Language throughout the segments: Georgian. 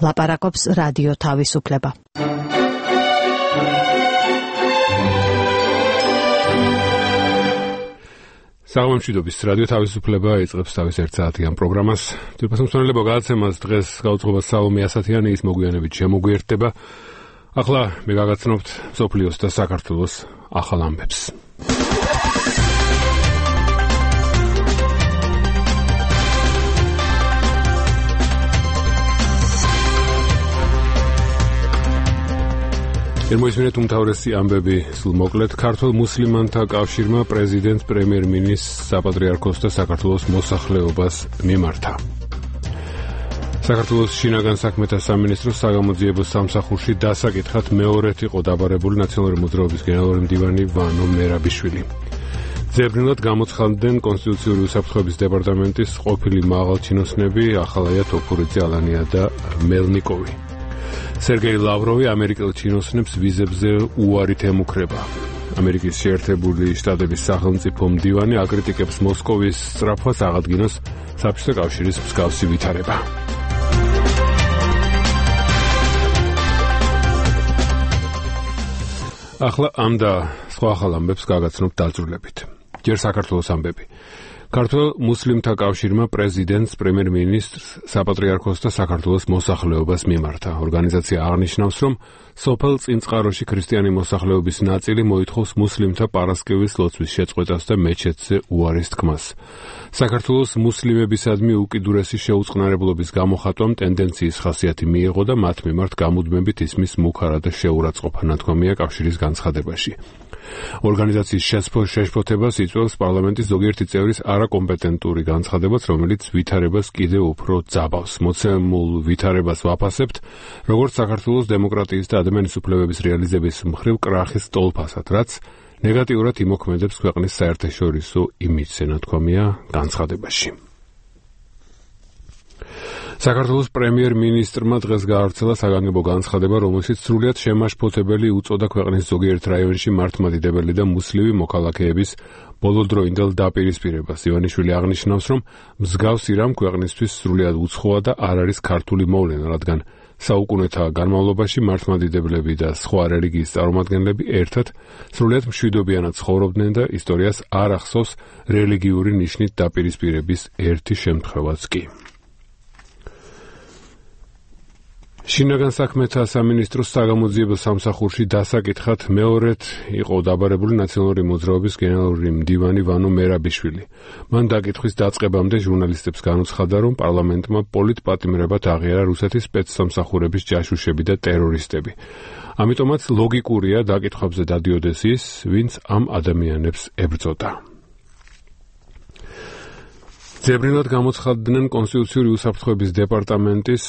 ლაპარაკობს რადიო თავისუფლება. საღამომშვიდობის რადიო თავისუფლება იწყებს თავის 1 საათიან პროგრამას. თვითმსმენელებო გადაცემას დღეს გაუძღობა სალომე ასათიანი, ის მოგვიანებით შემოგვიერთდება. ახლა მე გაგაცნობთ მსოფლიოს და საქართველოს ახალ ამბებს. მოისმინეთ უმთავრესი ამბები სულ მოკლედ. ქართულ მუსლიმანთა კავშირმა პრეზიდენტ პრემიერ-მინისტრს საპატრიარქოს და საქართველოს მოსახლეობას მიმართა. საქართველოს შინაგან საქმეთა სამინისტროს საგამოძიებო სამსახურში დასაკითხად მეორედ იყო დაბარებული ნაციონალური მოძრაობის გენერალური მდივანი ვანო მერაბიშვილი. ძებნულად გამოცხადდნენ კონსტიტუციური უსაფრთხოების დეპარტამენტის ყოფილი მაღალჩინოსნები ახალაია თოფურიძე, ალანია და მელნიკოვი. სერგეი ლავროვი ამერიკელ ჩინოსნებს ვიზებზე უარით ემუქრება. ამერიკის შეერთებული შტატების სახელმწიფო მდივანი აკრიტიკებს მოსკოვის სწრაფვას აღადგინოს საბჭოთა კავშირის მსგავსი ვითარება. ახლა ამ და სხვა ახალ ამბებს გაგაცნობთ დაწვრილებით. ჯერ საქართველოს ამბები. ქართულ მუსლიმთა კავშირმა პრეზიდენტს, პრემიერ-მინისტრს, საპატრიარქოს და საქართველოს მოსახლეობას მიმართა. ორგანიზაცია აღნიშნავს, რომ სოფელ წინწყაროში ქრისტიანი მოსახლეობის ნაწილი მოითხოვს მუსლიმთა პარასკევის ლოცვის შეწყვეტას და მეჩეთზე უარის თქმას. საქართველოს მუსლიმებისადმი უკიდურესი შეუწყნარებლობის გამოხატვამ ტენდენციის ხასიათი მიიღო და მათ მიმართ გამუდმებით ისმის მუქარა და შეურაცხყოფა ნათქვამია კავშირის განცხადებაში. ორგანიზაციის შეშფოთებას იწვევს პარლამენტის ზოგიერთი წევრის არაკომპეტენტური განცხადებაც, რომელიც ვითარებას კიდევ უფრო ძაბავს. მოცემულ ვითარებას ვაფასებთ, როგორც საქართველოს დემოკრატიის და ადამიანის უფლებების რეალიზების მხრივ კრახის სტოლფასად, რაც ნეგატიურად იმოქმედებს ქვეყნის საერთაშორისო იმიჯზე, ნათქვამია განცხადებაში. საქართველოს პრემიერ-მინისტრმა დღეს გაავრცელა საგანგებო განცხადება, რომელშიც სრულიად შემაშფოთებელი უწოდა ქვეყნის ზოგიერთ რაიონში მართლმადიდებელი და მუსლიმი მოქალაქეების ბოლოდროინდელ დაპირისპირებას. ივანიშვილი აღნიშნავს, რომ მსგავსი რამ ქვეყნისთვის სრულიად უცხოა და არ არის ქართული მოვლენა, რადგან საუკუნეთა განმავლობაში მართლმადიდებლები და სხვა რელიგიის წარმომადგენლები ერთად სრულიად მშვიდობიანად ცხოვრობდნენ და ისტორიას არ ახსოვს რელიგიური ნიშნით დაპირისპირების ერთი შემთხვევაც კი. შინაგან საქმეთა სამინისტროს საგამოძიებო სამსახურში დასაკითხად მეორედ იყო დაბარებული ნაციონალური მოძრაობის გენერალური მდივანი ვანო მერაბიშვილი. მან დაკითხვის დაწყებამდე ჟურნალისტებს განუცხადა, რომ პარლამენტმა პოლიტპატიმრებად აღიარა რუსეთის სპეცსამსახურების ჯაშუშები და ტერორისტები. ამიტომაც ლოგიკურია დაკითხვებზე დადიოდეს ის, ვინც ამ ადამიანებს ებრძოდა. ძებნულად გამოცხადდნენ კონსტიტუციური უსაფრთხოების დეპარტამენტის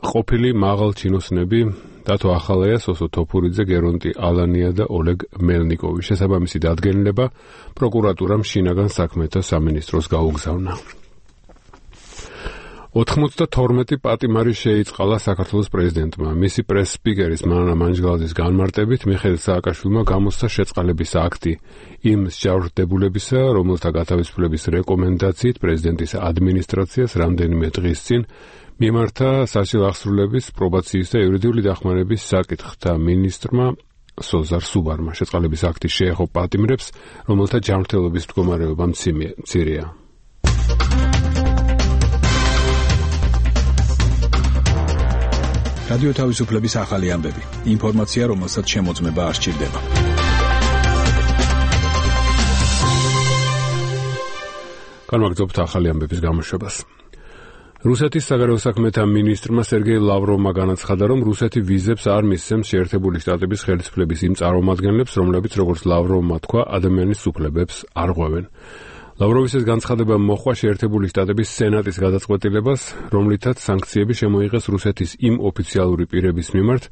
ყოფილი მაღალჩინოსნები დათო ახალაია, სოსო თოფურიძე, გერონტი ალანია და ოლეგ მელნიკოვი. შესაბამისი დადგენილება პროკურატურამ შინაგან საქმეთა სამინისტროს გაუგზავნა. 92 პატიმარი შეიწყალა საქართველოს პრეზიდენტმა. მისი პრეს-სპიკერის მანა მანჯგალაძის განმარტებით მიხეილ სააკაშვილმა გამოსცა შეწყალების აქტი იმ მსჯავრდებულებისა, რომელთა გათავისუფლების რეკომენდაციით პრეზიდენტის ადმინისტრაციას რამდენიმე დღის წინ მიმართა სასილახსრულების, პრობაციის და იურიდიული დახმარების საკითხთა მინისტრმა სოზარ სუბარმა. შეწყალების აქტი შეეხო პატიმრებს, რომელთა ჯანმრთელობის მდგომარეობა მცირეა. რადიო თავისუფლების ახალი ამბები. ინფორმაცია, რომელსაც შემოწმება არ სჭირდება. განვაგრძობთ ახალი ამბების გამოშვებას. რუსეთის საგარეო საქმეთა მინისტრმა სერგეი ლავროვმა განაცხადა, რომ რუსეთი ვიზებს არ მისცემს შეერთებული შტატების ხელისუფლების იმ წარმომადგენლებს, რომლებიც, როგორც ლავროვმა თქვა, ადამიანის უფლებებს არ ღვევენ. ლავროვის ეს განცხადება მოჰყვა შეერთებული შტატების სენატის გადაწყვეტილებას, რომლითაც სანქციები შემოიღეს რუსეთის იმ ოფიციალური პირების მიმართ,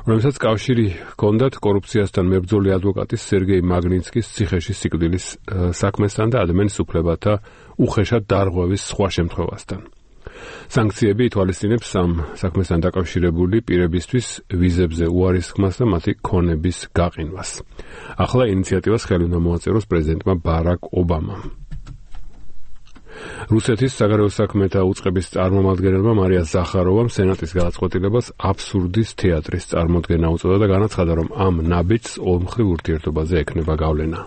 რომელსაც კავშირი ჰქონდათ კორუფციასთან მებრძოლი ადვოკატის სერგეი მაგნიცკის ციხეში სიკვდილის საქმესთან და ადამიანის უფლებათა უხეშად დარღვევის სხვა შემთხვევასთან. სანქციები ითვალისწინებს ამ საქმესთან დაკავშირებული პირებისთვის ვიზებზე უარის თქმას და მათი ქონების გაყინვას. ახლა ინიციატივას ხელი უნდა მოაწეროს პრეზიდენტმა ბარაკ ობამამ. რუსეთის საგარეო საქმეთა უწყების წარმომადგენელმა მარია ზახაროვამ სენატის გადაწყვეტილებას აბსურდის თეატრის წარმოდგენა უწოდა და განაცხადა, რომ ამ ნაბიჯს ორმხრივ ურთიერთობაზე ექნება გავლენა.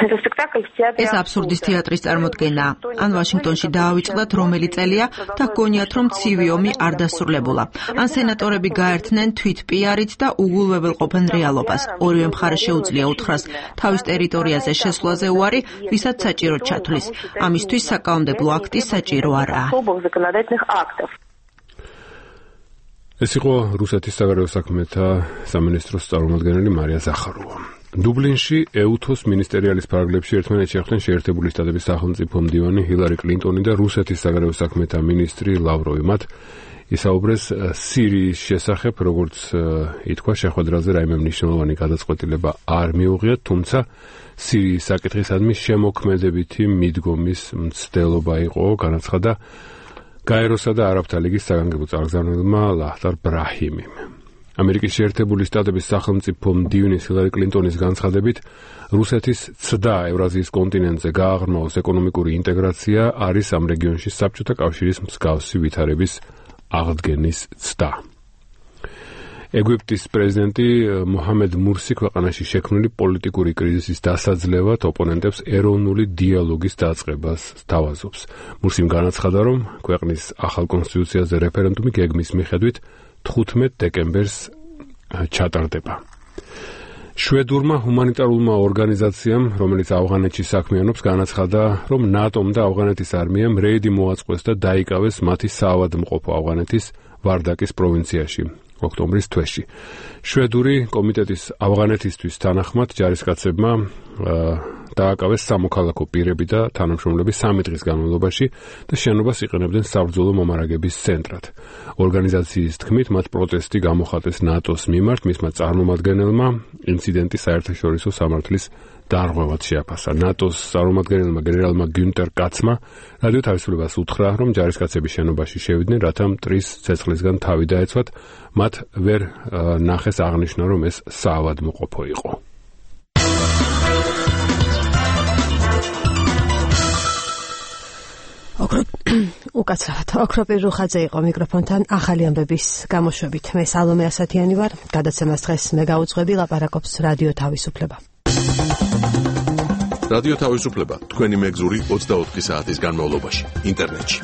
ეს აბსურდის თეატრის წარმოდგენაა. ან ვაშინგტონში დაავიწყდათ რომელი წელია და გქონიათ, რომ ცივი ომი არ დასრულებულა. ან სენატორები გაერთნენ თვით პიარით და უგულვებელყოფენ რეალობას. ორივე მხარეს შეუძლია უთხრას თავის ტერიტორიაზე შესვლაზე უარი, ვისაც საჭიროდ ჩათვლის. ამისთვის საკანონმდებლო აქტი საჭირო არაა. ეს იყო რუსეთის საგარეო საქმეთა სამინისტროს წარმომადგენელი მარია ზახაროვა. დუბლინში ეუთოს მინისტერიალის ფარგლებში ერთმანეთს შეხვდნენ შეერთებული შტატების სახელმწიფო მდივანი ჰილარი კლინტონი და რუსეთის საგარეო საქმეთა მინისტრი ლავროვი. მათ ისაუბრეს სირიის შესახებ, როგორც ითქვა, შეხვედრაზე რაიმე მნიშვნელოვანი გადაწყვეტილება არ მიუღიათ, თუმცა სირიის საკითხისადმი შემოქმედებითი მიდგომის მცდელობა იყო, განაცხადა გაეროსა და არაბთა ლიგის საგანგებო წარგზავნილმა ლაჰტარ ბრაჰიმიმ. ამერიკის შეერთებული შტატების სახელმწიფო მდივნის ჰილარი კლინტონის განცხადებით, რუსეთის ცდა ევრაზიის კონტინენტზე გააღრმაოს ეკონომიკური ინტეგრაცია არის ამ რეგიონში საბჭოთა კავშირის მსგავსი ვითარების აღდგენის ცდა. ეგვიპტის პრეზიდენტი მოჰამედ მურსი ქვეყანაში შექმნილი პოლიტიკური კრიზისის დასაძლევად ოპონენტებს ეროვნული დიალოგის დაწყებას სთავაზობს. მურსიმ განაცხადა, რომ ქვეყნის ახალ კონსტიტუციაზე რეფერენდუმი გეგმის მიხედვით 15 დეკემბერს ჩატარდება. შვედურმა ჰუმანიტარულმა ორგანიზაციამ, რომელიც ავღანეთში საქმიანობს, განაცხადა, რომ ნატომ და ავღანეთის არმიამ რეიდი მოაწყვეს და დაიკავეს მათი საავადმყოფო ავღანეთის ვარდაკის პროვინციაში ოქტომბრის თვეში. შვედური კომიტეტის ავღანეთისთვის თანახმად ჯარისკაცებმა დააკავეს სამოქალაქო პირები და თანამშრომლები 3 დღის განმავლობაში და შენობას იყენებდნენ საბრძოლო მომარაგების ცენტრად. ორგანიზაციის თქმით, მათ პროტესტი გამოხატეს ნატოს მიმართ, მისმა წარმომადგენელმა ინციდენტი საერთაშორისო სამართლის დარღვევად შეაფასა. ნატოს წარმომადგენელმა გენერალმა გიუნტერ კაცმა რადიო თავისუფლებას უთხრა, რომ ჯარისკაცები შენობაში შევიდნენ, რათა მტრის ცეცხლისგან თავი დაეცვათ, მათ ვერ ნახეს აღნიშნა, რომ ეს საავადმყოფო იყო. უკაცრავად ოქროპირ რუხაძე იყო მიკროფონთან ახალი ამბების გამოშვებით. მე სალომე ასათიანი ვარ. გადაცემას დღეს მე გაუძღვები, ლაპარაკობს რადიო თავისუფლება. რადიო თავისუფლება თქვენი მეგზური 24 საათის განმავლობაში ინტერნეტში.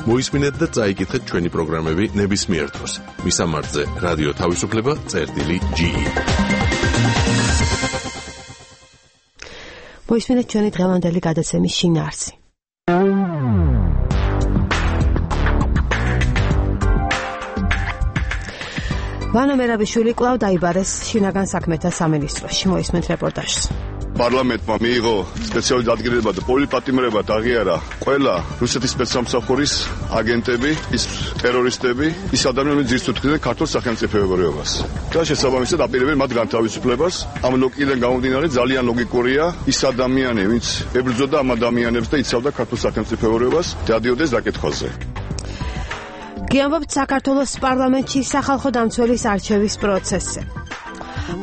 მოისმინეთ და წაიკითხეთ ჩვენი პროგრამები ნებისმიერ დროს. მისამართზე რადიო თავისუფლება.ge. მოისმინეთ ჩვენი დღევანდელი გადაცემის შინაარსი. ვანო მერაბიშვილი კვლავ დაიბარეს შინაგან საქმეთა სამინისტროში. მოისმენთ რეპორტაჟს. პარლამენტმა მიიღო სპეციალური დადგენილება და პოლიპატიმრებად აღიარა ყველა რუსეთის სპეცსამსახურის აგენტები, ის ტერორისტები, ის ადამიანები ძირითადად ქართულ სახელმწიფოებრიობას. და შესაბამისად აპირებენ მათ განთავისუფლებას. ამ ლოგიკიდან გამომდინარე ძალიან ლოგიკურია ის ადამიანი, ვინც ებრძოდა ამ ადამიანებს და იცავდა ქართულ სახელმწიფოებრიობას, დადიოდეს დაკითხვაზე. გიამბობთ საქართველოს პარლამენტში სახალხო დამცველის არჩევის პროცესზე.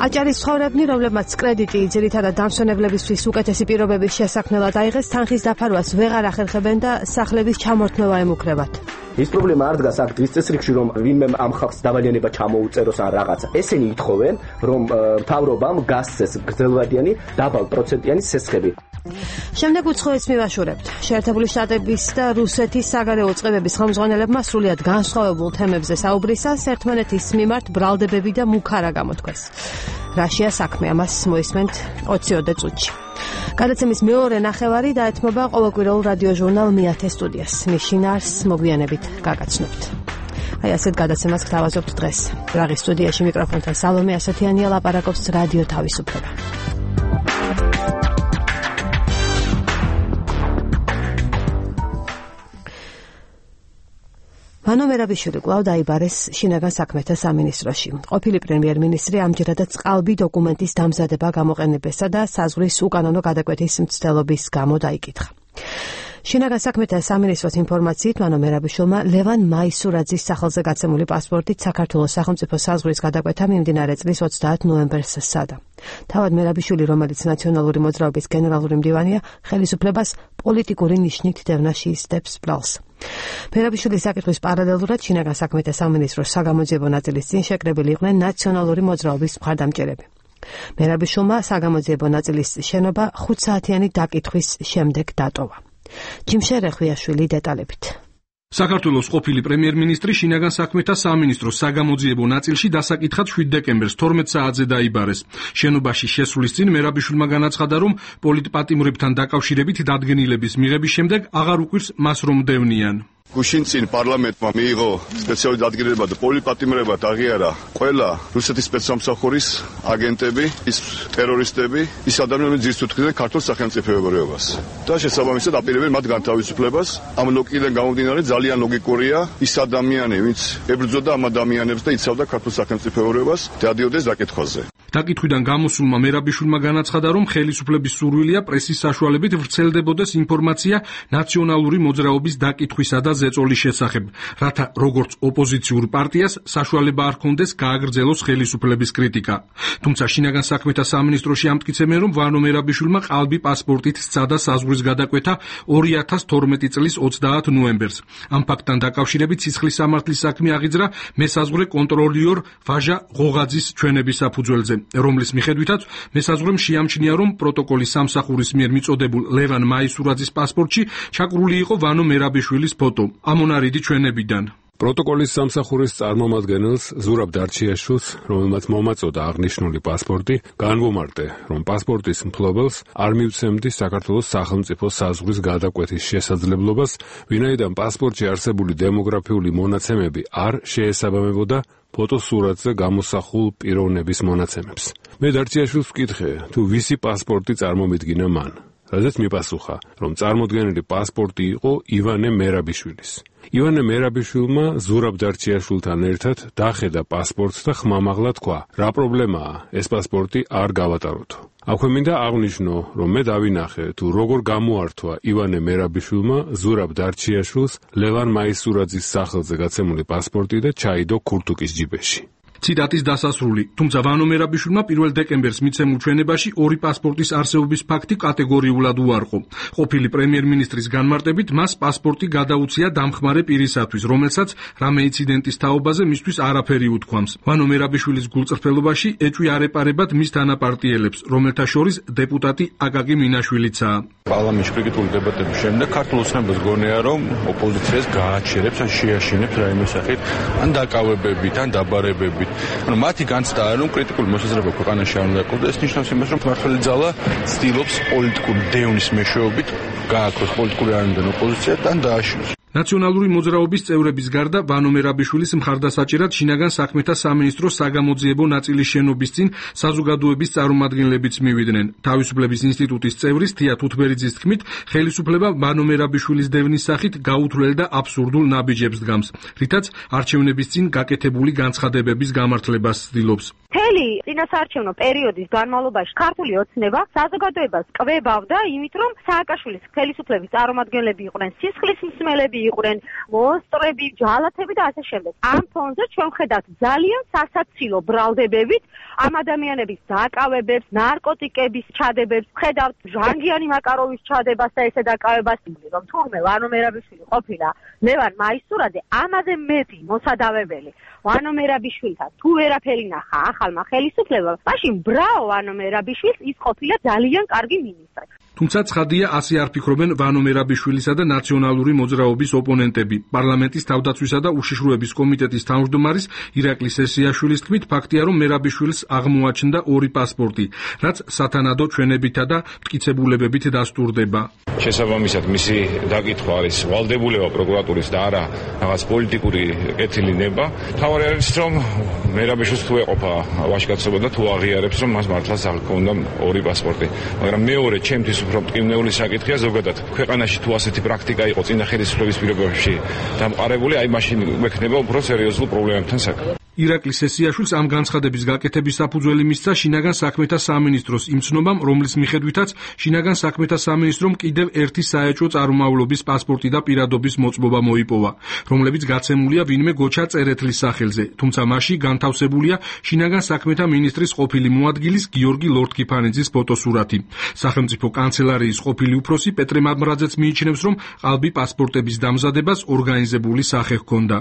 აჭარის ცხოვრებნი, რომლებმაც კრედიტი ძირითადად დამსვენებლებისთვის უკეთესი პირობების შესაქმნელად აიღეს, თანხის დაფარვას ვეღარ ახერხებენ და სახლების ჩამორთმევა ემუქრებათ. ის პრობლემა არ დგას აქ დღის წესრიგში, რომ ვინმე ამ ხალხს დავალიანება ჩამოუწეროს ან რაღაცა. ესენი ითხოვენ, რომ მთავრობამ გასცეს გრძელვადიანი დაბალ პროცენტიანი სესხები. შემდეგ უცხოეთს მივაშურებთ. შეერთებული შტატების და რუსეთის საგარეო წყებების ხელმძღვანელებმა სრულიად განსხვავებულ თემებზე საუბრისას ერთმანეთის მიმართ ბრალდებები და მუქარა გამოთქვეს. რაშია საქმე, ამას მოისმენთ 20 წუთში. გადაცემის მეორე ნახევარი დაეთმობა ყოველკვირეულ რადიო ჟურნალ მეათე სტუდიას. მის შინაარსს მოგვიანებით გაგაცნობთ. აი ასეთ გადაცემას გთავაზობთ დღეს. პრაღის სტუდიაში მიკროფონთან სალომე ასათიანია, ლაპარაკობს რადიო თავისუფლება. ვანო მერაბიშვილი კვლავ დაიბარეს შინაგან საქმეთა სამინისტროში. ყოფილი პრემიერ-მინისტრი ამჯერადაც ყალბი დოკუმენტის დამზადება გამოყენებისა და საზღვრის უკანონო გადაკვეთის მცდელობის გამო დაიკითხა. შინაგან საქმეთა სამინისტროს ინფორმაციით, მანო მერაბიშვილმა ლევან მაისურაძის სახელზე გაცემული პასპორტით საქართველოს სახელმწიფო საზღვრის გადაკვეთა მიმდინარე წლის 30 ნოემბერს სცადა. თავად მერაბიშვილი, რომელიც ნაციონალური მოძრაობის გენერალური მდივანია, ხელისუფლებას პოლიტიკური ნიშნით დევნა შეისდებს ბრალს. მერაბიშვილის საკითხვის პარალელურად შინაგან საქმეთა სამინისტროს საგამოძიებო ნაწილის წინ შეკრებილი იყვნენ ნაციონალური მოძრაობის მხარდამჭერები. მერაბიშვილმა საგამოძიებო ნაწილის შენობა 5 საათიანი დაკითხვის შემდეგ დატოვა. ჯიმშერე ხვიაშვილი დეტალებით. საქართველოს ყოფილი პრემიერ-მინისტრი შინაგან საქმეთა სამინისტროს საგამოძიებო ნაწილში დასაკითხად 7 დეკემბერს 12 საათზე დაიბარეს. შენობაში შესვლის წინ მერაბიშვილმა განაცხადა, რომ პოლიტპატიმრებთან დაკავშირებით დადგენილების მიღების შემდეგ აღარ უყვირს მას რომ დევნიან. გუშინ წინ პარლამენტმა მიიღო სპეციალური დადგენილება და პოლიტპატიმრებად აღიარა ყველა რუსეთის სპეცსამსახურის აგენტები, ის ტერორისტები, ის ადამიანები ძირს უთხრდნენ ქართულ სახელმწიფოებრიობას. და შესაბამისად აპირებენ მათ განთავისუფლებას. ამ ლოგიკიდან გამომდინარე ძალიან ლოგიკურია ის ადამიანი, ვინც ებრძოდა ამ ადამიანებს და იცავდა ქართულ სახელმწიფოებრიობას, დადიოდეს დაკითხვაზე. დაკითხვიდან გამოსულმა მერაბიშვილმა განაცხადა, რომ ხელისუფლების სურვილია პრესის საშუალებით ვრცელდებოდეს ინფორმაცია ნაციონალური მოძრაობის დაკითხვისა და ზეწოლის შესახებ, რათა როგორც ოპოზიციურ პარტიას საშუალება არ ჰქონდეს გააგრძელოს ხელისუფლების კრიტიკა. თუმცა შინაგან საქმეთა სამინისტროში ამტკიცებენ, რომ ვანო მერაბიშვილმა ყალბი პასპორტით სცადა საზღვრის გადაკვეთა 2012 წლის 30 ნოემბერს. ამ ფაქტთან დაკავშირებით სისხლის სამართლის საქმე აღიძრა მესაზღვრე კონტროლიორ ვაჟა ღოღაძის ჩვენების საფუძველზე, რომლის მიხედვითაც მესაზღვრემ შეამჩნია, რომ პროტოკოლის სამსახურის მიერ მიწოდებულ ლევან მაისურაძის პასპორტში ჩაკრული იყო ვანო მერაბიშვილის ფოტო. ამონარიდი ჩვენებიდან. პროტოკოლის სამსახურის წარმომადგენელს ზურაბ დარჩიაშვილს, რომელმაც მომაწოდა აღნიშნული პასპორტი, განვომარტე, რომ პასპორტის მფლობელს არ მივცემდი საქართველოს სახელმწიფო საზღვრის გადაკვეთის შესაძლებლობას, ვინაიდან პასპორტში არსებული დემოგრაფიული მონაცემები არ შეესაბამებოდა ფოტოსურათზე გამოსახულ პიროვნების მონაცემებს. მე დარჩიაშვილს ვკითხე, თუ ვისი პასპორტი წარმომიდგინა მან. რადგან მიპასუხა, რომ წარმოდგენილი პასპორტი იყო ივანე მერაბიშვილის. ივანე მერაბიშვილმა ზურაბ დარჩიაშვილთან ერთად დახედა პასპორტს და ხმამაღლა თქვა, რა პრობლემაა, ეს პასპორტი არ გავატაროთო. აქვე მინდა აღვნიშნო, რომ მე დავინახე, თუ როგორ გამოართვა ივანე მერაბიშვილმა ზურაბ დარჩიაშვილს ლევან მაისურაძის სახელზე გაცემული პასპორტი და ჩაიდო ქურთუკის ჯიბეში. ციტატის დასასრული. თუმცა ვანო მერაბიშვილმა 1 დეკემბერს მიცემულ ჩვენებაში ორი პასპორტის არსებობის ფაქტი კატეგორიულად უარყო. ყოფილი პრემიერ-მინისტრის განმარტებით მას პასპორტი გადაუცია დამხმარე პირისათვის, რომელსაც რამე ინციდენტის თაობაზე მისთვის არაფერი უთქვამს. ვანო მერაბიშვილის გულწრფელობაში ეჭვი არ ეპარებათ მის თანაპარტიელებს, რომელთა შორის დეპუტატი აკაკი მინაშვილიცაა. პარლამენტში კრიტიკული დებატების შემდეგ ქართულ ოცნებას გონია, რომ ოპოზიციას გააჩერებს ან შეაშინებს რაიმე სახით, ან დაკავებებით, ან დაბარებებით. მათი განცდა არის, რომ კრიტიკული მოსაზრება ქვეყანაში არ უნდა იყოს და ეს ნიშნავს იმას, რომ მართველი ძალა ცდილობს პოლიტიკური დევნის მეშვეობით გააქროს პოლიტიკური არამდენ ოპოზიცია და დააშინოს. ნაციონალური მოძრაობის წევრების გარდა ვანო მერაბიშვილის მხარდასაჭერად შინაგან საქმეთა სამინისტროს საგამოძიებო ნაწილის შენობის წინ საზოგადოების წარმომადგენლებიც მივიდნენ. თავისუფლების ინსტიტუტის წევრის თია თუთბერიძის თქმით, ხელისუფლება ვანო მერაბიშვილის დევნის სახით გაუთვლელ და აბსურდულ ნაბიჯებს დგამს, რითაც არჩევნების წინ გაკეთებული განცხადებების გამართლებას ცდილობს. მთელი წინასაარჩევნო პერიოდის განმავლობაში ქართული ოცნება საზოგადოებას კვებავდა იმით, რომ სააკაშვილის ხელისუფლების წარმომადგენლები იყვნენ სისხლის მსმელები, იყვნენ მონსტრები, ჯალათები და ასე შემდეგ. ამ ფონზე ჩვენ ხედავთ ძალიან სასაცილო ბრალდებებით ამ ადამიანების დაკავებებს, ნარკოტიკების ჩადებებს, ხედავთ ჟანგიანი მაკაროვის ჩადებას და ესე დაკავებას, რომ თურმე ვანო მერაბიშვილი ყოფილა ლევან მაისურაძე, ამაზე მეტი მოსადავებელი ვანო მერაბიშვილთან თუ ვერაფერი ნახა ახალმა ხელისუფლებამ, მაშინ ბრაო ვანო მერაბიშვილს, ის ყოფილა ძალიან კარგი მინისტრი. თუმცა ცხადია, ასე არ ფიქრობენ ვანო მერაბიშვილისა და ნაციონალური მოძრაობის ოპონენტები. პარლამენტის თავდაცვისა და უშიშროების კომიტეტის თავმჯდომარის ირაკლი სესიაშვილის თქმით, ფაქტია, რომ მერაბიშვილს აღმოაჩნდა ორი პასპორტი, რაც სათანადო ჩვენებითა და მტკიცებულებებით დასტურდება. შესაბამისად, მისი დაკითხვა არის ვალდებულება პროკურატურის და არა რაღაც პოლიტიკური კეთილინება. თავარი არის, რომ მერაბიშვილს თუ ეყოფა ვაჟკაცობა და თუ აღიარებს, რომ მას მართლაც არ ჰქონდა ორი პასპორტი. მაგრამ მეორე ჩემთვის უფრო მტკივნეული საკითხია ზოგადად. ქვეყანაში თუ ასეთი პრაქტიკა იყო წინა ხელისუფლების პირობებში დამყარებული, აი მაშინ მექნება უფრო სერიოზულ პრობლემებთან საქმე. ირაკლი სესიაშვილს ამ განცხადების გაკეთების საფუძველი მისცა შინაგან საქმეთა სამინისტროს იმ ცნობამ, რომლის მიხედვითაც შინაგან საქმეთა სამინისტრომ კიდევ ერთი საეჭვო წარმომავლობის პასპორტი და პირადობის მოწმობა მოიპოვა, რომლებიც გაცემულია ვინმე გოჩა წერეთლის სახელზე, თუმცა მასში განთავსებულია შინაგან საქმეთა მინისტრის ყოფილი მოადგილის გიორგი ლორთქიფანიძის ფოტოსურათი. სახელმწიფო კანცელარიის ყოფილი უფროსი პეტრე მამრაძეც მიიჩნევს, რომ ყალბი პასპორტების დამზადებას ორგანიზებული სახე ჰქონდა.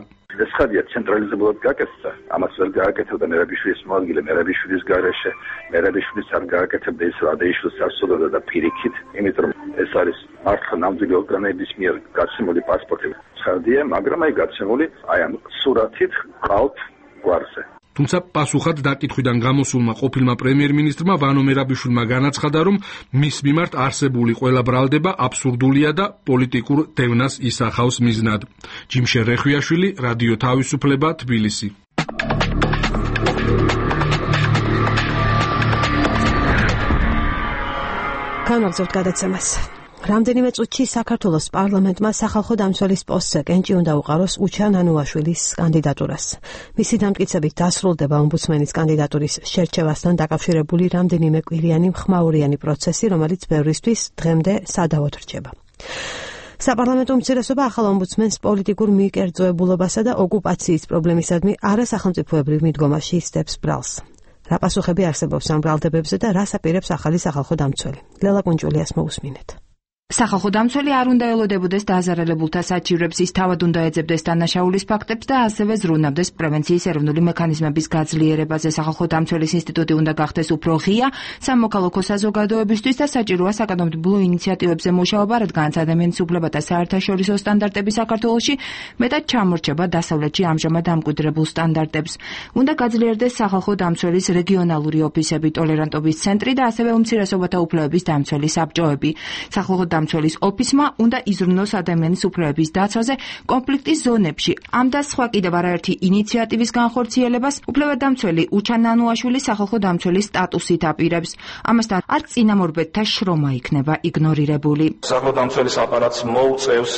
Schadია ცენტრალიზებულად გაკეთდა, ამას ვერ გააკეთებდა მერაბიშვილის მოადგილე, მერაბიშვილის გარეშე, მერაბიშვილის არ გააკეთებდა ის რადეიშვილს ასწოდოდა და პირიქით, იმიტომ ეს არის მართლა ნამდვილი ორგანოების მიერ გაცემული პასპორტი. Schadია, მაგრამ აი გაცემული აი ამ სურათით ყალბ გვარზე. თუმცა პასუხად დაკითხვიდან გამოსულმა ყოფილმა პრემიერ-მინისტრმა ვანო მერაბიშვილმა განაცხადა, რომ მის მიმართ არსებული ყველა ბრალდება აბსურდულია და პოლიტიკურ დევნას ისახავს მიზნად. ჯიმშე რეხვიაშვილი, რადიო თავისუფლება, თბილისი. განვაგრძობთ გადაცემას. რამდენიმე წუთში საქართველოს პარლამენტმა სახალხო დამცველის პოსტზე კენჭი უნდა უყაროს უჩა ნანუაშვილის კანდიდატურას. მისი დამტკიცებით დასრულდება ომბუდსმენის კანდიდატურის შერჩევასთან დაკავშირებული რამდენიმე კვირიანი მხმაურიანი პროცესი, რომელიც ბევრისთვის დღემდე სადავოდ რჩება. საპარლამენტო უმცირესობა ახალ ომბუდსმენს პოლიტიკურ მიკერძოებულობასა და ოკუპაციის პრობლემისადმი არასახელმწიფოებრივ მიდგომაში ისტებს ბრალს. რა პასუხები არსებობს ამ ბრალდებებზე და რას აპირებს ახალი სახალხო დამცველი? ლელა კუნჭულიას მოусმინეთ. სახალხო დამცველი არ უნდა ელოდებოდეს დაზარალებულთა საჩივრებს, ის თავად უნდა ეძებდეს დანაშაულის ფაქტებს და ასევე ზრუნავდეს პრევენციის ეროვნული მექანიზმების გაძლიერებაზე. სახალხო დამცველის ინსტიტუტი უნდა გახდეს უფრო ღია სამოქალაქო საზოგადოებისთვის და საჭიროა საკანონმდებლო ინიციატივებზე მუშაობა, რადგანაც ადამიანის უფლებათა საერთაშორისო სტანდარტები საქართველოში მეტად ჩამორჩება დასავლეთში ამჟამად დამკვიდრებულ სტანდარტებს. უნდა გაძლიერდეს სახალხო დამცველის რეგიონალური ოფისები, ტოლერანტობის ცენტრი და ასევე უმცირესობათა უფლებების დამცველი საბჭოები. სახალხო დამცველის ოფისმა უნდა იზრუნოს ადამიანის უფლებების დაცვაზე კონფლიქტის ზონებში. ამ და სხვა კიდევ არაერთი ინიციატივის განხორციელებას უფლებადამცველი უჩა ნანუაშვილი სახალხო დამცველის სტატუსით აპირებს. ამასთან არ წინამორბედთა შრომა იქნება იგნორირებული. სახალხო დამცველის აპარატს მოუწევს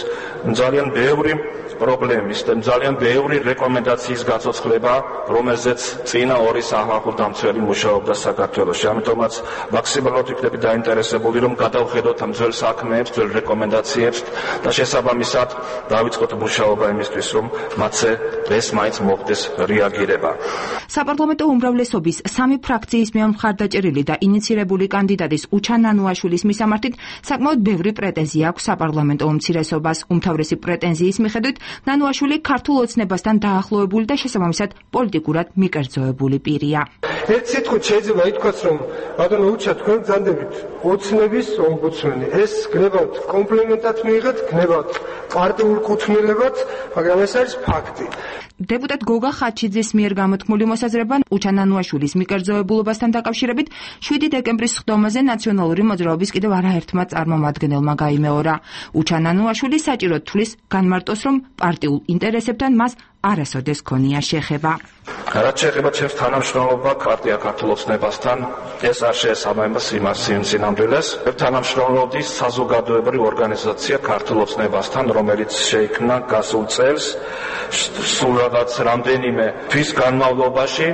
ძალიან ბევრი პრობლემის და ძალიან ბევრი რეკომენდაციის გაცოცხლება, რომელზეც წინა ორი სახალხო დამცველი მუშაობდა საქართველოში. ამიტომაც მაქსიმალურად ვიქნები დაინტერესებული, რომ გადავხედოთ ამ ძველ საქმეებს, ძველ რეკომენდაციებს და შესაბამისად დავიწყოთ მუშაობა იმისთვის, რომ მათზე ეს მაინც მოხდეს რეაგირება. საპარლამენტო უმრავლესობის სამი ფრაქციის მიერ მხარდაჭერილი და ინიცირებული კანდიდატის უჩა ნანუაშვილის მისამართით საკმაოდ ბევრი პრეტენზია აქვს საპარლამენტო უმცირესობას. უმთავრესი პრეტენზიის მიხედვით ნანუაშვილი ქართულ ოცნებასთან დაახლოებული და შესაბამისად პოლიტიკურად მიკერძოებული პირია. ერთ სიტყვით შეიძლება ითქვას, რომ ბატონო უჩა თქვენ გძანდებით ოცნების ომბუდსმენი. ეს გნებავთ კომპლიმენტად მიიღეთ, გნებავთ პარტიულ კუთვნილებად, მაგრამ ეს არის ფაქტი. დეპუტატ გოგა ხაჩიძის მიერ გამოთქმული მოსაზრება უჩა ნანუაშვილის მიკერძოებულობასთან დაკავშირებით 7 დეკემბრის სხდომაზე ნაციონალური მოძრაობის კიდევ არაერთმა წარმომადგენელმა გაიმეორა. უჩა ნანუაშვილი საჭიროდ თვლის განმარტოს, რომ პარტიულ ინტერესებთან მას არასოდეს ქონია შეხება. რაც შეეხება ჩემს თანამშრომლობა პარტია ქართულ ოცნებასთან, ეს არ შეესაბამება სიმამრილეს. თანამშრომლობდი საზოგადოებრივ ორგანიზაცია ქართულ ოცნებასთან, რომელიც შეიქმნა გასულ წელს, სულ რამდენიმე თვის განმავლობაში.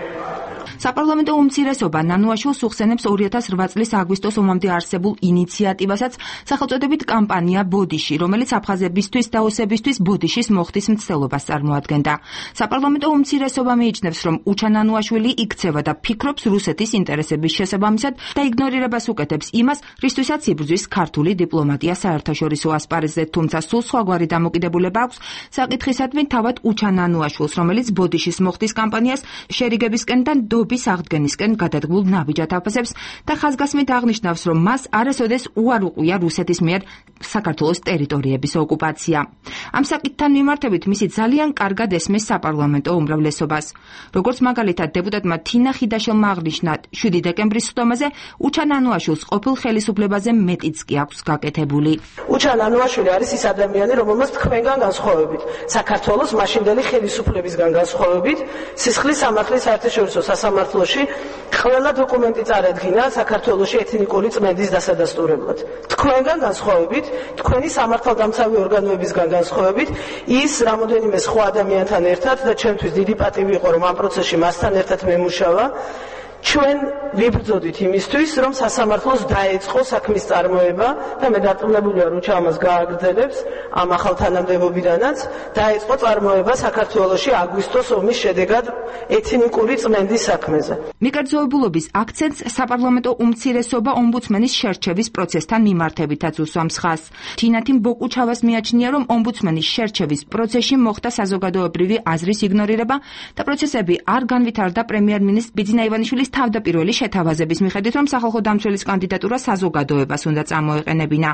საპარლამენტო უმცირესობა ნანუაშვილს უხსენებს 2008 წლის აგვისტოს ომამდე არსებულ ინიციატივასაც სახელწოდებით კამპანია ბოდიში, რომელიც აფხაზებისთვის დაოსებისთვის ბოდიშის მოხდის მცდელობას წარმოადგენდა. საპარლამენტო უმცირესობა მიიჩნევს, რომ უჩა ნანუაშვილი იქცევა და ფიქრობს რუსეთის ინტერესების შესაბამისად და იგნორირებას უკეთებს იმას, რისთვისაც იბრძვის ქართული დიპლომატია საერთაშორისო ასპარეზზე, თუმცა სულ სხვაგვარი დამოკიდებულება აქვს საკითხისადმი თავად უჩა ნანუაშვილს, რომელიც ბოდიშის მოხდის კამპანიას შერიგებისკენ და დობის აღდგენისკენ გადადგმულ ნაბიჯად აფასებს და ხაზგასმით აღნიშნავს, რომ მას არასოდეს უარ უყვია რუსეთის მიერ საქართველოს ტერიტორიების ოკუპაცია. ამ საკითხთან მიმართებით მისი ძალიან კარგად ესმის საპარლამენტო უმრავლესობას. როგორც მაგალითად დეპუტატმა თინა ხიდაშელმა აღნიშნა 7 დეკემბრის სხდომაზე, უჩა ნანუაშვილს ყოფილ ხელისუფლებაზე მეტიც კი აქვს გაკეთებული. უჩა ნანუაშვილი არის ის ადამიანი, რომელმაც თქვენგან განსხვავებით, საქართველოს მაშინდელი ხელისუფლებისგან განსხვავებით, სისხლის სამართლის საერთაშორისო სასამართლოში ყველა დოკუმენტი წარადგინა საქართველოში ეთნიკური წმენდის დასადასტურებლად. თქვენგან განსხვავებით, თქვენი სამართალდამცავი ორგანოებისგან განსხვავებით, ის რამოდენიმე სხვა ადამიანთან ერთად და ჩემთვის დიდი პატივი იყო, რომ ამ პროცესში მასთან ერთად მემუშავა. ჩვენ ვიბრძოდით იმისთვის, რომ სასამართლოს დაეწყო საქმის წარმოება და მე დარწმუნებულია, რომ ჩამას გააგრძელებს ამ ახალ თანამდებობიდანაც დაეწყო წარმოება საქართველოში აგვისტოს ომის შედეგად ეთნიკური წმენდის საქმეზე. მიკერძოებულობის აქცენტს საპარლამენტო უმცირესობა ომბუდსმენის შერჩევის პროცესთან მიმართებითაც უსვამს ხაზს. თინათინ ბოკუჩავას მიაჩნია, რომ ომბუდსმენის შერჩევის პროცესში მოხდა საზოგადოებრივი აზრის იგნორირება და პროცესები არ განვითარდა პრემიერ-მინისტრ ბიძინა ივანიშვილის თავდაპირველი შეთავაზების მიხედვით, რომ სახალხო დამცველის კანდიდატურა საზოგადოებას უნდა წამოეყენებინა.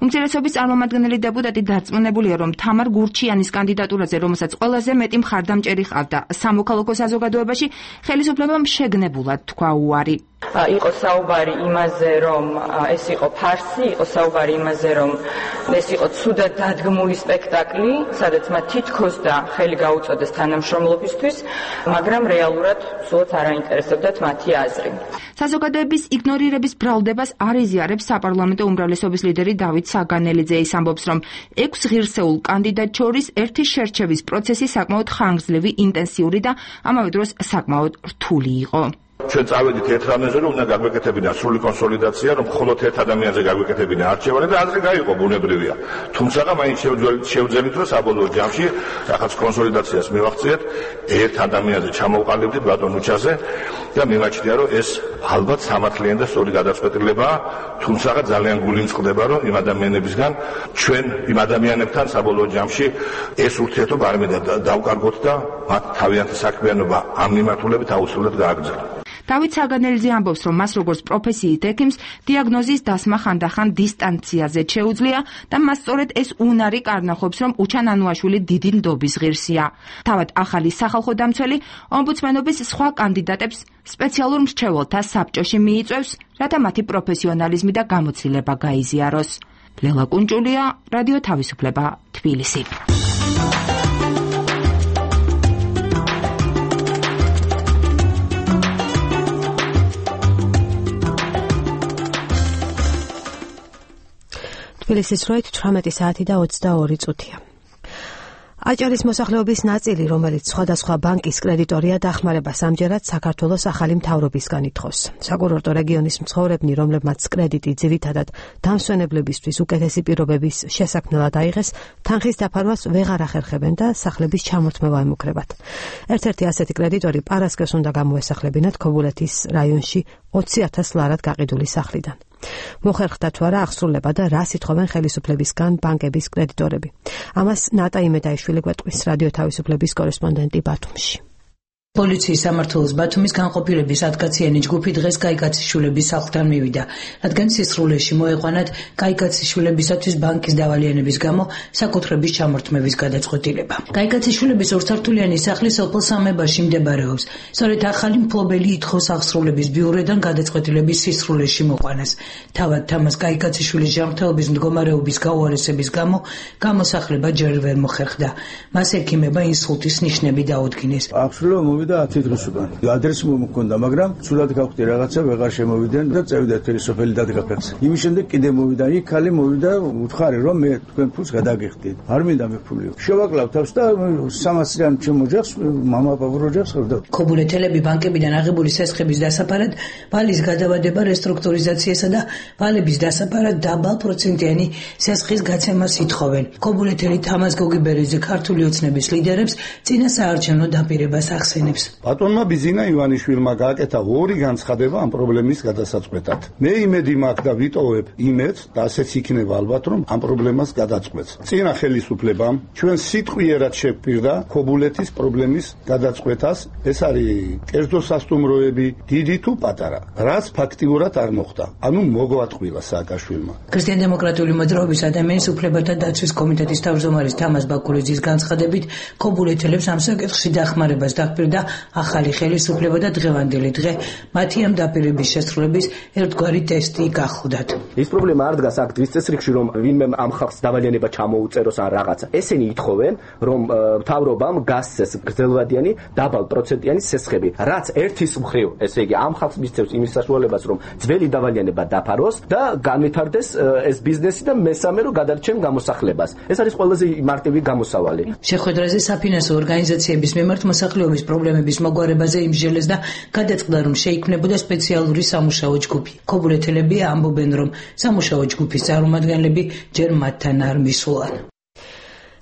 უმცირესობის წარმომადგენელი დეპუტატი დარწმუნებულია, რომ თამარ გურჩიანის კანდიდატურაზე, რომელსაც ყველაზე მეტი მხარდამჭერი ჰყავდა სამოქალაქო საზოგადოებაში, ხელისუფლებამ შეგნებულად თქვა უარი. იყო საუბარი იმაზე, რომ ეს იყო ფარსი, იყო საუბარი იმაზე, რომ ეს იყო ცუდად დადგმული სპექტაკლი, სადაც მათ თითქოს და ხელი გაუწოდეს თანამშრომლობისთვის, მაგრამ რეალურად სულაც არ აინტერესებდათ მათი აზრი. საზოგადოების იგნორირების ბრალდებას არ იზიარებს საპარლამენტო უმრავლესობის ლიდერი დავით საგანელიძე. ის ამბობს, რომ 6 ღირსეულ კანდიდატ შორის ერთი შერჩევის პროცესი საკმაოდ ხანგრძლივი, ინტენსიური და ამავე დროს საკმაოდ რთული იყო. ჩვენ წავედით ერთ რამეზე, რომ უნდა გაგვეკეთებინა სრული კონსოლიდაცია, რომ მხოლოდ ერთ ადამიანზე გაგვეკეთებინა არჩევანი და აზრი გაიყო, ბუნებრივია. თუმცა მაინც შევძელით, რომ საბოლოო ჯამში რაღაც კონსოლიდაციას მივახციეთ, ერთ ადამიანზე ჩამოვყალიბდით ბატონ უჩაზე და მიმაჩნია, რომ ეს ალბათ სამართლიანი და სწორი გადაწყვეტილებაა, თუმცა ძალიან გულიმწყდება, რომ იმ ადამიანებისგან ჩვენ იმ ადამიანებთან საბოლოო ჯამში ეს ურთიერთობა არ დავკარგოთ და მათ თავიანთი საქმიანობა ამ მიმართულებით აუცილებლად გააგრძელოთ. დავით საგანელიძე ამბობს, რომ მას როგორც პროფესიით ექიმს დიაგნოზის დასმა ხანდახან დისტანციაზე შეუძლია და მას სწორედ ეს უნარი კარნახობს, რომ უჩან ანუაშვილი დიდი ნდობის ღირსია. თავად ახალი სახალხო დამცველი ომბუდსმენობის სხვა კანდიდატებს სპეციალურ მრჩეველთა საბჭოში მიიწვევს, რათა მათი პროფესიონალიზმი და გამოცდილება გაიზიაროს. ლელა კუნჭულია, რადიო თავისუფლება, თბილისი. თბილისის დროით 18 საათი და 22 წუთია. აჭარის მოსახლეობის ნაწილი, რომელიც სხვადასხვა ბანკის კრედიტორია, დახმარებას ამჯერად საქართველოს ახალი მთავრობისგან ითხოვს. საკურორტო რეგიონის მცხოვრებნი, რომლებმაც კრედიტი ძირითადად დამსვენებლებისთვის უკეთესი პირობების შესაქმნელად აიღეს, თანხის დაფარვას ვეღარ ახერხებენ და სახლების ჩამორთმევა ემუქრებათ. ერთ-ერთი ასეთი კრედიტორი პარასკევს უნდა გამოესახლებინათ ქობულეთის რაიონში 20,000 ლარად გაყიდული სახლიდან. მოხერხდა თუ არა აღსრულება და რას ითხოვენ ხელისუფლებისგან ბანკების კრედიტორები. ამას ნატა იმედაიშვილი გვეტყვის რადიო თავისუფლების კორესპონდენტი ბათუმში. პოლიციის სამმართველოს ბათუმის განყოფილების ათკაციანი ჯგუფი დღეს კაიკაციშვილების სახლთან მივიდა, რადგან სისრულეში მოეყვანათ კაიკაციშვილებისათვის ბანკის დავალიანების გამო საკუთრების ჩამორთმევის გადაწყვეტილება. კაიკაციშვილების ორსართულიანი სახლი სოფელ სამებაში მდებარეობს. სწორედ ახალი მფლობელი ითხოვს აღსრულების ბიუროდან გადაწყვეტილების სისრულეში მოყვანას. თავად თამას კაიკაციშვილის ჯანმრთელობის მდგომარეობის გაუარესების გამო გამოსახლება ჯერ ვერ მოხერხდა. მას ექიმება ინსულტის ნიშნები დაუდგინეს. და 10 დღის უკან. ადრესი მომქონდა, მაგრამ სულად გავხდი რაღაცა, ვეღარ შემოვიდნენ და წევიდა თერი სოფელი დადგა ფეხს. იმის შემდეგ კიდე მოვიდა, იქ ხალი მოვიდა, უთხარი რომ მე თქვენ ფულს გადაგიხდით. არ მინდა მე ფულიო. შევაკლავ თავს და 300-იან ჩემ ოჯახს, მამა პაპურ ოჯახს ხედავ. ქობულეთელები ბანკებიდან აღებული სესხების დასაფარად, ვალის გადავადება რესტრუქტურიზაციასა და ვალების დასაფარად დაბალ პროცენტიანი სესხის გაცემას ითხოვენ. ქობულეთელი თამაზ გოგიბერიძე ქართული ოცნების ლიდერებს წინა საარჩევნო დაპირებას ახსენებს. ბატონმა ბიძინა ივანიშვილმა გააკეთა ორი განცხადება ამ პრობლემის გადასაწყვეტად. მე იმედი მაქვს და ვიტოვებ იმედს და ასეც იქნება ალბათ რომ ამ პრობლემას გადაწყვეტს. წინა ხელისუფლებამ ჩვენ სიტყვიერად შეგვპირდა ქობულეთის პრობლემის გადაწყვეტას. ეს არის კერძო სასტუმროები, დიდი თუ პატარა, რაც ფაქტიურად არ მოხდა. ანუ მოგვატყვილა სააკაშვილმა. ქრისტიან-დემოკრატიული მოძრაობის ადამიანის უფლებათა დაცვის კომიტეტის თავმჯდომარის თამაზ ბაკურიძის განცხადებით, ქობულეთელებს ამ საკითხში დახმარებას დაპირდა და ახალი ხელისუფლება და დღევანდელი დღე მათი ამ დაპირების შესრულების ერთგვარი ტესტი გახდათ. ის პრობლემა არ დგას აქ დღის წესრიგში, რომ ვინმე ამ ხალხს დავალიანება ჩამოუწეროს ან რაღაცა. ესენი ითხოვენ, რომ მთავრობამ გასცეს გრძელვადიანი დაბალ პროცენტიანი სესხები, რაც ერთის მხრივ, ესე იგი, ამ ხალხს მისცემს იმის საშუალებას, რომ ძველი დავალიანება დაფაროს და განვითარდეს ეს ბიზნესი და მესამე რომ გადარჩენ გამოსახლებას. ეს არის ყველაზე მარტივი გამოსავალი. შეხვედრაზე საფინანსო ორგანიზაციების მიმართ მოსახლეობის პრობლემების მოგვარებაზე იმსჯელეს და გადაწყდა, რომ შეიქმნებოდა სპეციალური სამუშაო ჯგუფი. ქობულეთელები ამბობენ, რომ სამუშაო ჯგუფის წარმომადგენლები ჯერ მათთან არ მისულან.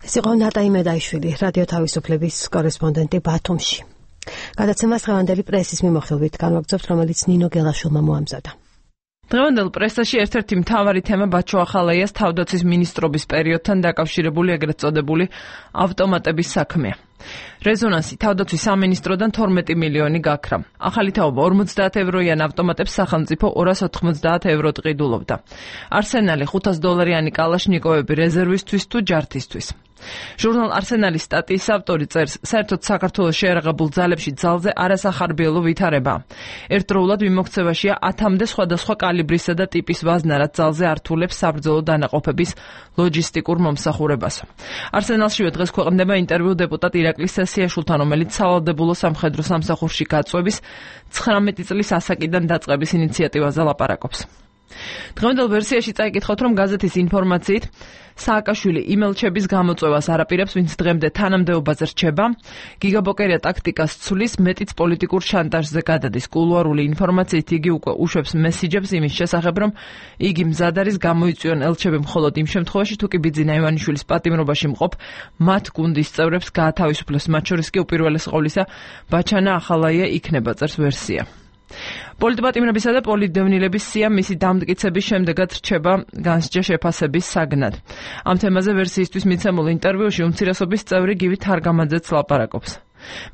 ეს იყო ნატაი მედაიშვილი, რადიო თავისუფლების კორესპონდენტი ბათუმში. გადაცემას დღევანდელი პრესის მიმოხილვით განვაგრძობთ, რომელიც ნინო გელაშვილმა მოამზადა. დღევანდელ პრესაში ერთ-ერთი მთავარი თემა ბაჩო ახალაიას თავდაცვის მინისტრობის პერიოდთან დაკავშირებული ეგრეთ წოდებული ავტომატების საქმეა. რეზონანსი თავდაცვის სამინისტროდან 12 მილიონი გაქრა. ახალი თაობა 50 ევროიან ავტომატებს სახელმწიფო 290 ევროდ ყიდულობდა. არსენალი $500 კალაშნიკოვები რეზერვისთვის თუ ჯართისთვის. ჟურნალ არსენალის სტატიის ავტორი წერს, საერთოდ საქართველოს შეერაღებულ ძალებში ძალზე არასახარბიელო ვითარებაა. ერთდროულად მიმოქცევაშია 10-მდე სხვადასხვა კალიბრისა და ტიპის ვაზნა, რაც ძალზე ართულებს საბრძოლო დანაყოფების ლოჯისტიკურ მომსახურებას. არსენალშივე დღეს ქვეყნდება ინტერვიუ დეპუტატ ირაკლი სესიაშვილთან, რომელიც სავალდებულო სამხედრო სამსახურში გაწვევის 19 წლის ასაკიდან დაწყების ინიციატივაზე ლაპარაკობს. დღევანდელ ვერსიაში წაიკითხოთ, რომ გაზეთის ინფორმაციით სააკაშვილი იმელჩების გამოწვევას არაპირებს, ვინც დღემდე თანამდებობაზე რჩება, გიგაბოკერია ტაქტიკას ცulis, მეტიც პოლიტიკურ შანტაჟზე გადადის. კულუარული ინფორმაციით იგი უკვე უშვებს მესიჯებს იმის შესახებ, რომ იგი მზად არის გამოიწვიონ ელჩები მხოლოდ იმ შემთხვევაში, თუ კი ბიძინა ივანიშვილის პატიმრობაში მყოფ მათ გუნდის წევრებს გაათავისუფლოს, მათ შორის კი უპირველეს ყოვლისა ბაჩანა ახალაია იქნება, წერს ვერსია. პოლიტპატიმრებისა და პოლიტდევნილების სია მისი დამტკიცების შემდეგაც რჩება განსჯა შეფასების საგნად. ამ თემაზე ვერსიისთვის მიცემულ ინტერვიუში უმცირესობის წევრი გივი თარგამაძეც ლაპარაკობს.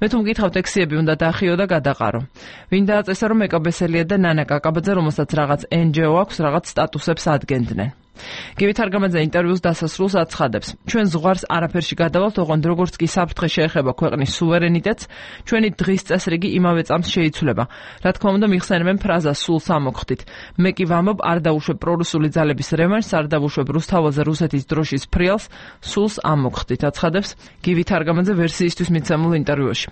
მე თუ მკითხავთ, ექსიები უნდა დაახიო და გადაყარო. ვინ დააწესა, რომ ეკაბესელია და ნანა კაკაბაძე, რომელსაც რაღაც NGO აქვს, რაღაც სტატუსებს ადგენდნენ. გივი თარგამაძე ინტერვიუს დასასრულს აცხადებს, ჩვენ ზღვარს არაფერში გადავალთ, ოღონდ როგორც კი საფრთხე შეეხება ქვეყნის სუვერენიტეტს, ჩვენი დღის წესრიგი იმავე წამს შეიცვლება. რა თქმა უნდა, მიხსენებენ ფრაზას სულს ამოხდით. მე კი ვამბობ, არ დავუშვებ პრორუსული ძალების რევანშს, არ დავუშვებ რუსთაველზე რუსეთის დროშის ფრიალს, სულს ამოხდით, აცხადებს გივი თარგამაძე ვერსიისთვის მიცემულ ინტერვიუში.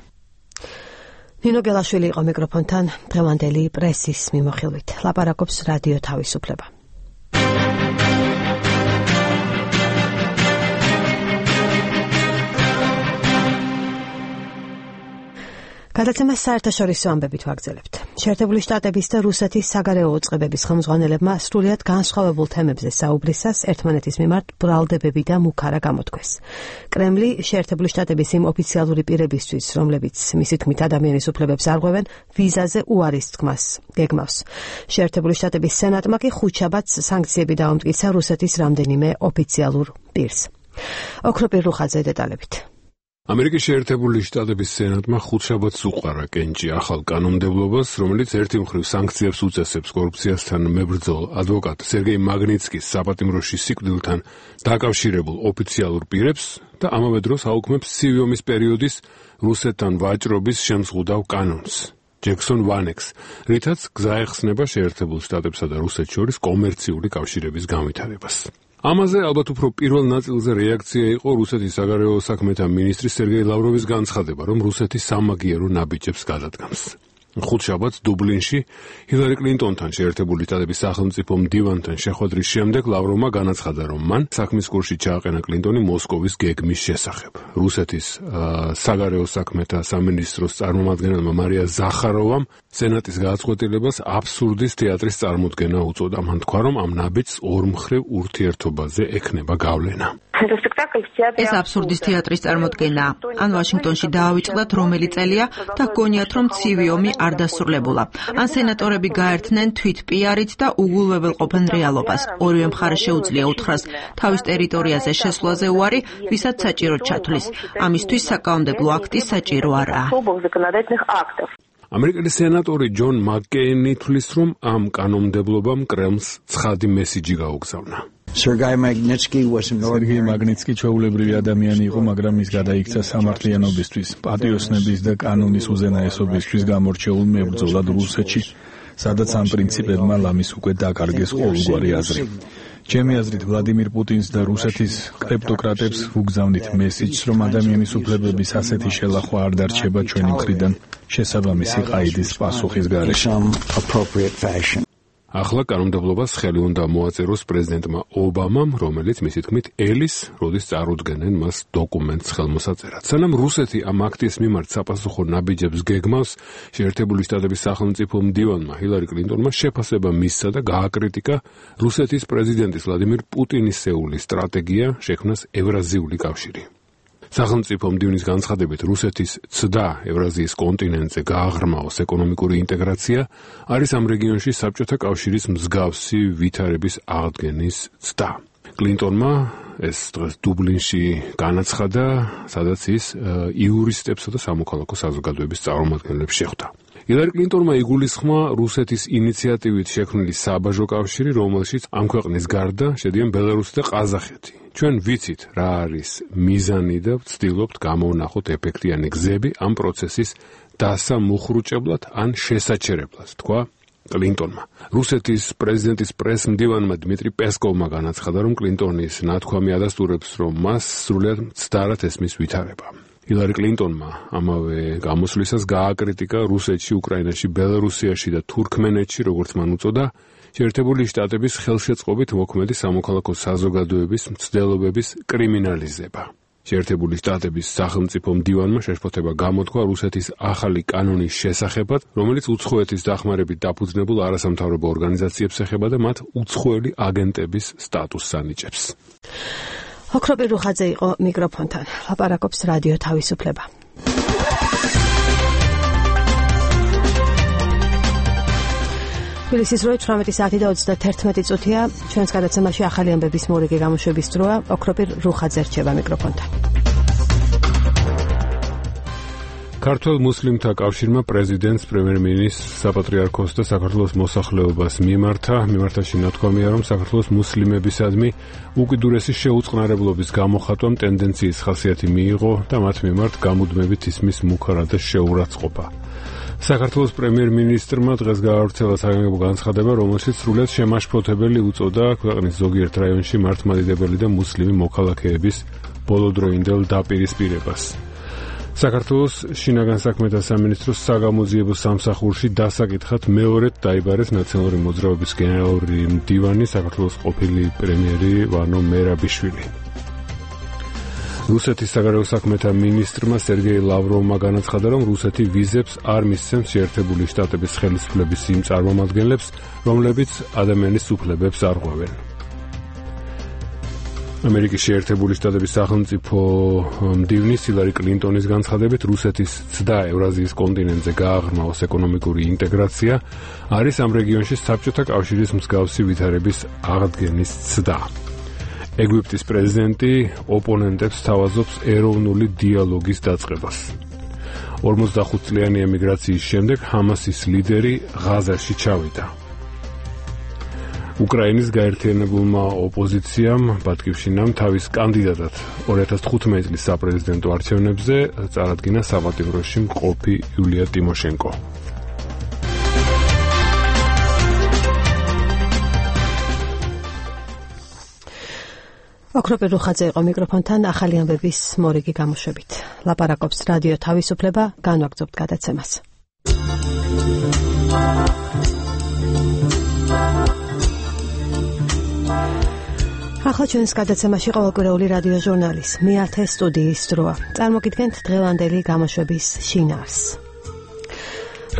ნინო გელაშვილი იყო მიკროფონთან დღევანდელი პრესის მიმოხილვით. ლაპარაკობს რადიო თავისუფლება. გადაცემას საერთაშორისო ამბებით ვაგრძელებთ. შეერთებული შტატების და რუსეთის საგარეო უწყებების ხელმძღვანელებმა სრულიად განსხვავებულ თემებზე საუბრისას ერთმანეთის მიმართ ბრალდებები და მუქარა გამოთქვეს. კრემლი შეერთებული შტატების იმ ოფიციალური პირებისთვის, რომლებიც მისი თქმით ადამიანის უფლებებს არღვევენ, ვიზაზე უარის თქმას გეგმავს. შეერთებული შტატების სენატმა კი ხუთშაბათს სანქციები დაუმტკიცა რუსეთის რამდენიმე ოფიციალურ პირს. ოქროპირ რუხაძე დეტალებით. ამერიკის შეერთებული შტატების სენატმა ხუთშაბათს უყარა კენჭი ახალ კანონმდებლობას, რომელიც ერთი მხრივ სანქციებს უწესებს კორუფციასთან მებრძოლ ადვოკატ სერგეი მაგნიცკის საპატიმროში სიკვდილთან დაკავშირებულ ოფიციალურ პირებს და ამავე დროს აუქმებს ცივი ომის პერიოდის რუსეთთან ვაჭრობის შემზღუდავ კანონს. ჯექსონ ვანექს, რითაც გზა ეხსნება შეერთებულ შტატებსა და რუსეთს შორის კომერციული კავშირების განვითარებას. ამაზე ალბათ უფრო პირველ ნაწილზე რეაქცია იყო რუსეთის საგარეო საქმეთა მინისტრის სერგეი ლავროვის განცხადება, რომ რუსეთი სამაგიერო ნაბიჯებს გადადგამს. ხუთშაბათს დუბლინში ჰილარი კლინტონთან შეერთებული შტატების სახელმწიფო მდივანთან შეხვედრის შემდეგ ლავროვმა განაცხადა, რომ მან საქმის კურსში ჩააყენა კლინტონი მოსკოვის გეგმის შესახებ. რუსეთის საგარეო საქმეთა სამინისტროს წარმომადგენელმა მარია ზახაროვამ სენატის გადაწყვეტილებას აბსურდის თეატრის წარმოდგენა უწოდა. მან თქვა, რომ ამ ნაბიჯს ორმხრივ ურთიერთობაზე ექნება გავლენა. ეს აბსურდის თეატრის წარმოდგენაა. ან ვაშინგტონში დაავიწყდათ, რომელი წელია და გონიათ, რომ ცივი ომი არ დასრულებულა. ან სენატორები გაერთნენ თვით პიარით და უგულვებელყოფენ რეალობას. ორივე მხარეს შეუძლია უთხრას თავის ტერიტორიაზე შესვლაზე უარი, ვისაც საჭიროდ ჩათვლის. ამისთვის საკანონმდებლო აქტი საჭირო არაა. ამერიკელი სენატორი ჯონ მაკკეინი თვლის, რომ ამ კანონმდებლობამ კრემლს ცხადი მესიჯი გაუგზავნა. სერგეი მაგნიცკი ჩვეულებრივი ადამიანი იყო, მაგრამ ის გადაიქცა სამართლიანობისთვის, პატიოსნების და კანონის უზენაესობისთვის გამორჩეულ მებრძოლად რუსეთში, სადაც ამ პრინციპებმა ლამის უკვე დაკარგეს ყოველგვარი აზრი. ჩემი აზრით, ვლადიმირ პუტინს და რუსეთის კრეპტოკრატებს უგზავნით მესიჯს, რომ ადამიანის უფლებების ასეთი შელახვა არ დარჩება ჩვენი მხრიდან შესაბამისი ყაიდის პასუხის გარეშე. ახლა კანონმდებლობას ხელი უნდა მოაწეროს პრეზიდენტმა ობამამ, რომელიც მისი თქმით ელის, როდის წარუდგენენ მას დოკუმენტს ხელმოსაწერად. სანამ რუსეთი ამ აქტის მიმართ საპასუხო ნაბიჯებს გეგმავს, შეერთებული შტატების სახელმწიფო მდივანმა ჰილარი კლინტონმა შეფასება მისცა და გააკრიტიკა რუსეთის პრეზიდენტის ვლადიმირ პუტინისეული სტრატეგია შექმნას ევრაზიული კავშირი. სახელმწიფო მდივნის განცხადებით, რუსეთის ცდა ევრაზიის კონტინენტზე გააღრმაოს ეკონომიკური ინტეგრაცია არის ამ რეგიონში საბჭოთა კავშირის მსგავსი ვითარების აღდგენის ცდა. კლინტონმა ეს დღეს დუბლინში განაცხადა, სადაც ის იურისტებსა და სამოქალაქო საზოგადოების წარმომადგენლებს შეხვდა. ჰილარი კლინტონმა იგულისხმა რუსეთის ინიციატივით შექმნილი საბაჟო კავშირი, რომელშიც ამ ქვეყნის გარდა შედიან ბელარუსი და ყაზახეთი. ჩვენ ვიცით, რა არის მიზანი და ვცდილობთ გამოვნახოთ ეფექტიანი გზები ამ პროცესის დასამუხრუჭებლად ან შესაჩერებლად, თქვა კლინტონმა. რუსეთის პრეზიდენტის პრესმდივანმა დმიტრი პესკოვმა განაცხადა, რომ კლინტონის ნათქვამი ადასტურებს, რომ მას სრულად მცდარად ესმის ვითარება. ჰილარი კლინტონმა ამავე გამოსვლისას გააკრიტიკა რუსეთში, უკრაინაში, ბელარუსიაში და თურქმენეთში, როგორც მან უწოდა, შეერთებული შტატების ხელშეწყობით მოქმედი სამოქალაქო საზოგადოების მცდელობების კრიმინალიზება. შეერთებული შტატების სახელმწიფო მდივანმა შეშფოთება გამოთქვა რუსეთის ახალი კანონის შესახებად, რომელიც უცხოეთის დახმარებით დაფუძნებულ არასამთავრობო ორგანიზაციებს ეხება და მათ უცხოელი აგენტების სტატუსს ანიჭებს. ოქროპი რუხაძე იყო მიკროფონთან. ლაპარაკობს რადიო თავისუფლება. თბილისის 18 საათი და 31 წუთია. ჩვენს გადაცემაში ახალი ამბების მორიგი გამოშვების დროა. ოქროპი რუხაძე რჩება მიკროფონთან. ქართულ მუსლიმთა კავშირმა პრეზიდენტს, პრემიერ-მინისტრს, საპატრიარქოს და საქართველოს მოსახლეობას მიმართა შინათქვამია, რომ საქართველოს მუსლიმებისადმი უკიდურესი შეუწყნარებლობის გამოხატვამ ტენდენციის ხასიათი მიიღო და მათ მიმართ გამუდმებით ისმის მუქარა და შეურაცხყოფა. საქართველოს პრემიერ-მინისტრმა დღეს გაავრცელა საგანგებო განცხადება, რომელშიც სრულად შემაშფოთებელი უწოდა ქვეყნის ზოგიერთ რაიონში მართლმადიდებელი და მუსლიმი მოქალაქეების ბოლოდროინდელ დაპირისპირებას. საქართველოს შინაგან საქმეთა სამინისტროს საგამოძიებო სამსახურში დასაკითხად მეორედ დაიბარეს ნაციონალური მოძრაობის გენერალური მდივანი, საქართველოს ყოფილი პრემიერი ვანო მერაბიშვილი. რუსეთის საგარეო საქმეთა მინისტრმა სერგეი ლავროვმა განაცხადა, რომ რუსეთი ვიზებს არ მისცემს შეერთებული შტატების ხელისუფლების იმ წარმომადგენლებს, რომლებიც ადამიანის უფლებებს არღვევენ. ამერიკის შეერთებული შტატების სახელმწიფო მდივნის ჰილარი კლინტონის განცხადებით, რუსეთის ცდა ევრაზიის კონტინენტზე გააღრმაოს ეკონომიკური ინტეგრაცია არის ამ რეგიონში საბჭოთა კავშირის მსგავსი ვითარების აღდგენის ცდა. ეგვიპტის პრეზიდენტი ოპონენტებს თავაზობს ეროვნული დიალოგის დაწყებას. 45 წლიანი ემიგრაციის შემდეგ ჰამასის ლიდერი ღაზაში ჩავიდა. უკრაინის გაერთიანებულმა ოპოზიციამ ბატკივშინამ თავის კანდიდატად 2015 წლის საპრეზიდენტო არჩევნებზე წარადგინა საპატიმროში მყოფი იულია ტიმოშენკო. ოქროპი რუხაძე იყო მიკროფონთან ახალი ამბების მორიგი გამოშვებით. ლაპარაკობს რადიო თავისუფლება, განვაგრძობთ გადაცემას. ახლა ჩვენს გადაცემაში ყოველკვირეული რადიო ჟურნალის მეათე სტუდიის დროა. წარმოგიდგენთ დღევანდელი გამოშვების შინაარსს.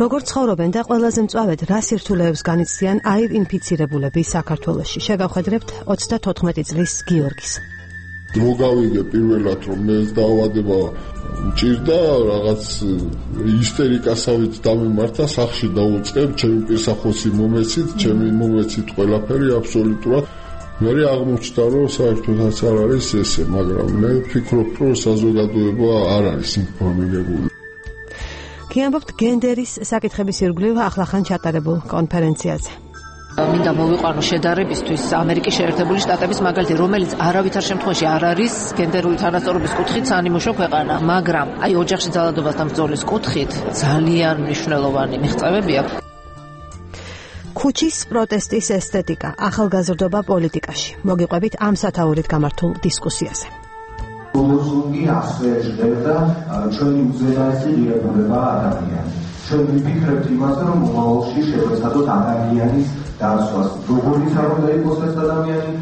როგორც ცხოვრობენ და ყველაზე მწვავედ რა სირთულეებს განიცდიან აივ ინფიცირებულები საქართველოში. შეგავხედრებთ 34 წლის გიორგის. მოგავიდე პირველად რომ მე დაავადება მჭირდა რაღაც ისტერიკასავით დამემართა სახში დაუწყებ ჩემი პირსახოსი მომეცით ჩემი მომეცით ყველაფერი აბსოლუტურად მე აღმოჩნდა რომ საერთოდაც არ არის ესე მაგრამ მე ვფიქრობ რომ საზოგადოება არ არის ინფორმირებული. გიამბობთ გენდერის საკითხების ირგვლივ ახლახან ჩატარებულ კონფერენციაზე. მინდა მოვიყვანო შედარებისთვის ამერიკის შეერთებული შტატების მაგალითი, რომელიც არავითარ შემთხვევაში არ არის გენდერული თანასწორობის კუთხით საანიმუშო ქვეყანა, მაგრამ აი ოჯახში ძალადობასთან ბრძოლის კუთხით ძალიან მნიშვნელოვანი მიღწევები აქვს. ქუჩის პროტესტის ესთეტიკა, ახალგაზრდობა პოლიტიკაში. მოგიყვებით ამ სათაურით გამართულ დისკუსიაზე. ლოზუნგი ასე ჟღერდა ჩვენი უზენაესი ღირებულება ადამიანს. ჩვენ ვიფიქრებთ იმაზე, რომ მომავალში შევეცადოთ ადამიანის დაცვას. როგორიც არ უნდა იყოს ეს ადამიანი?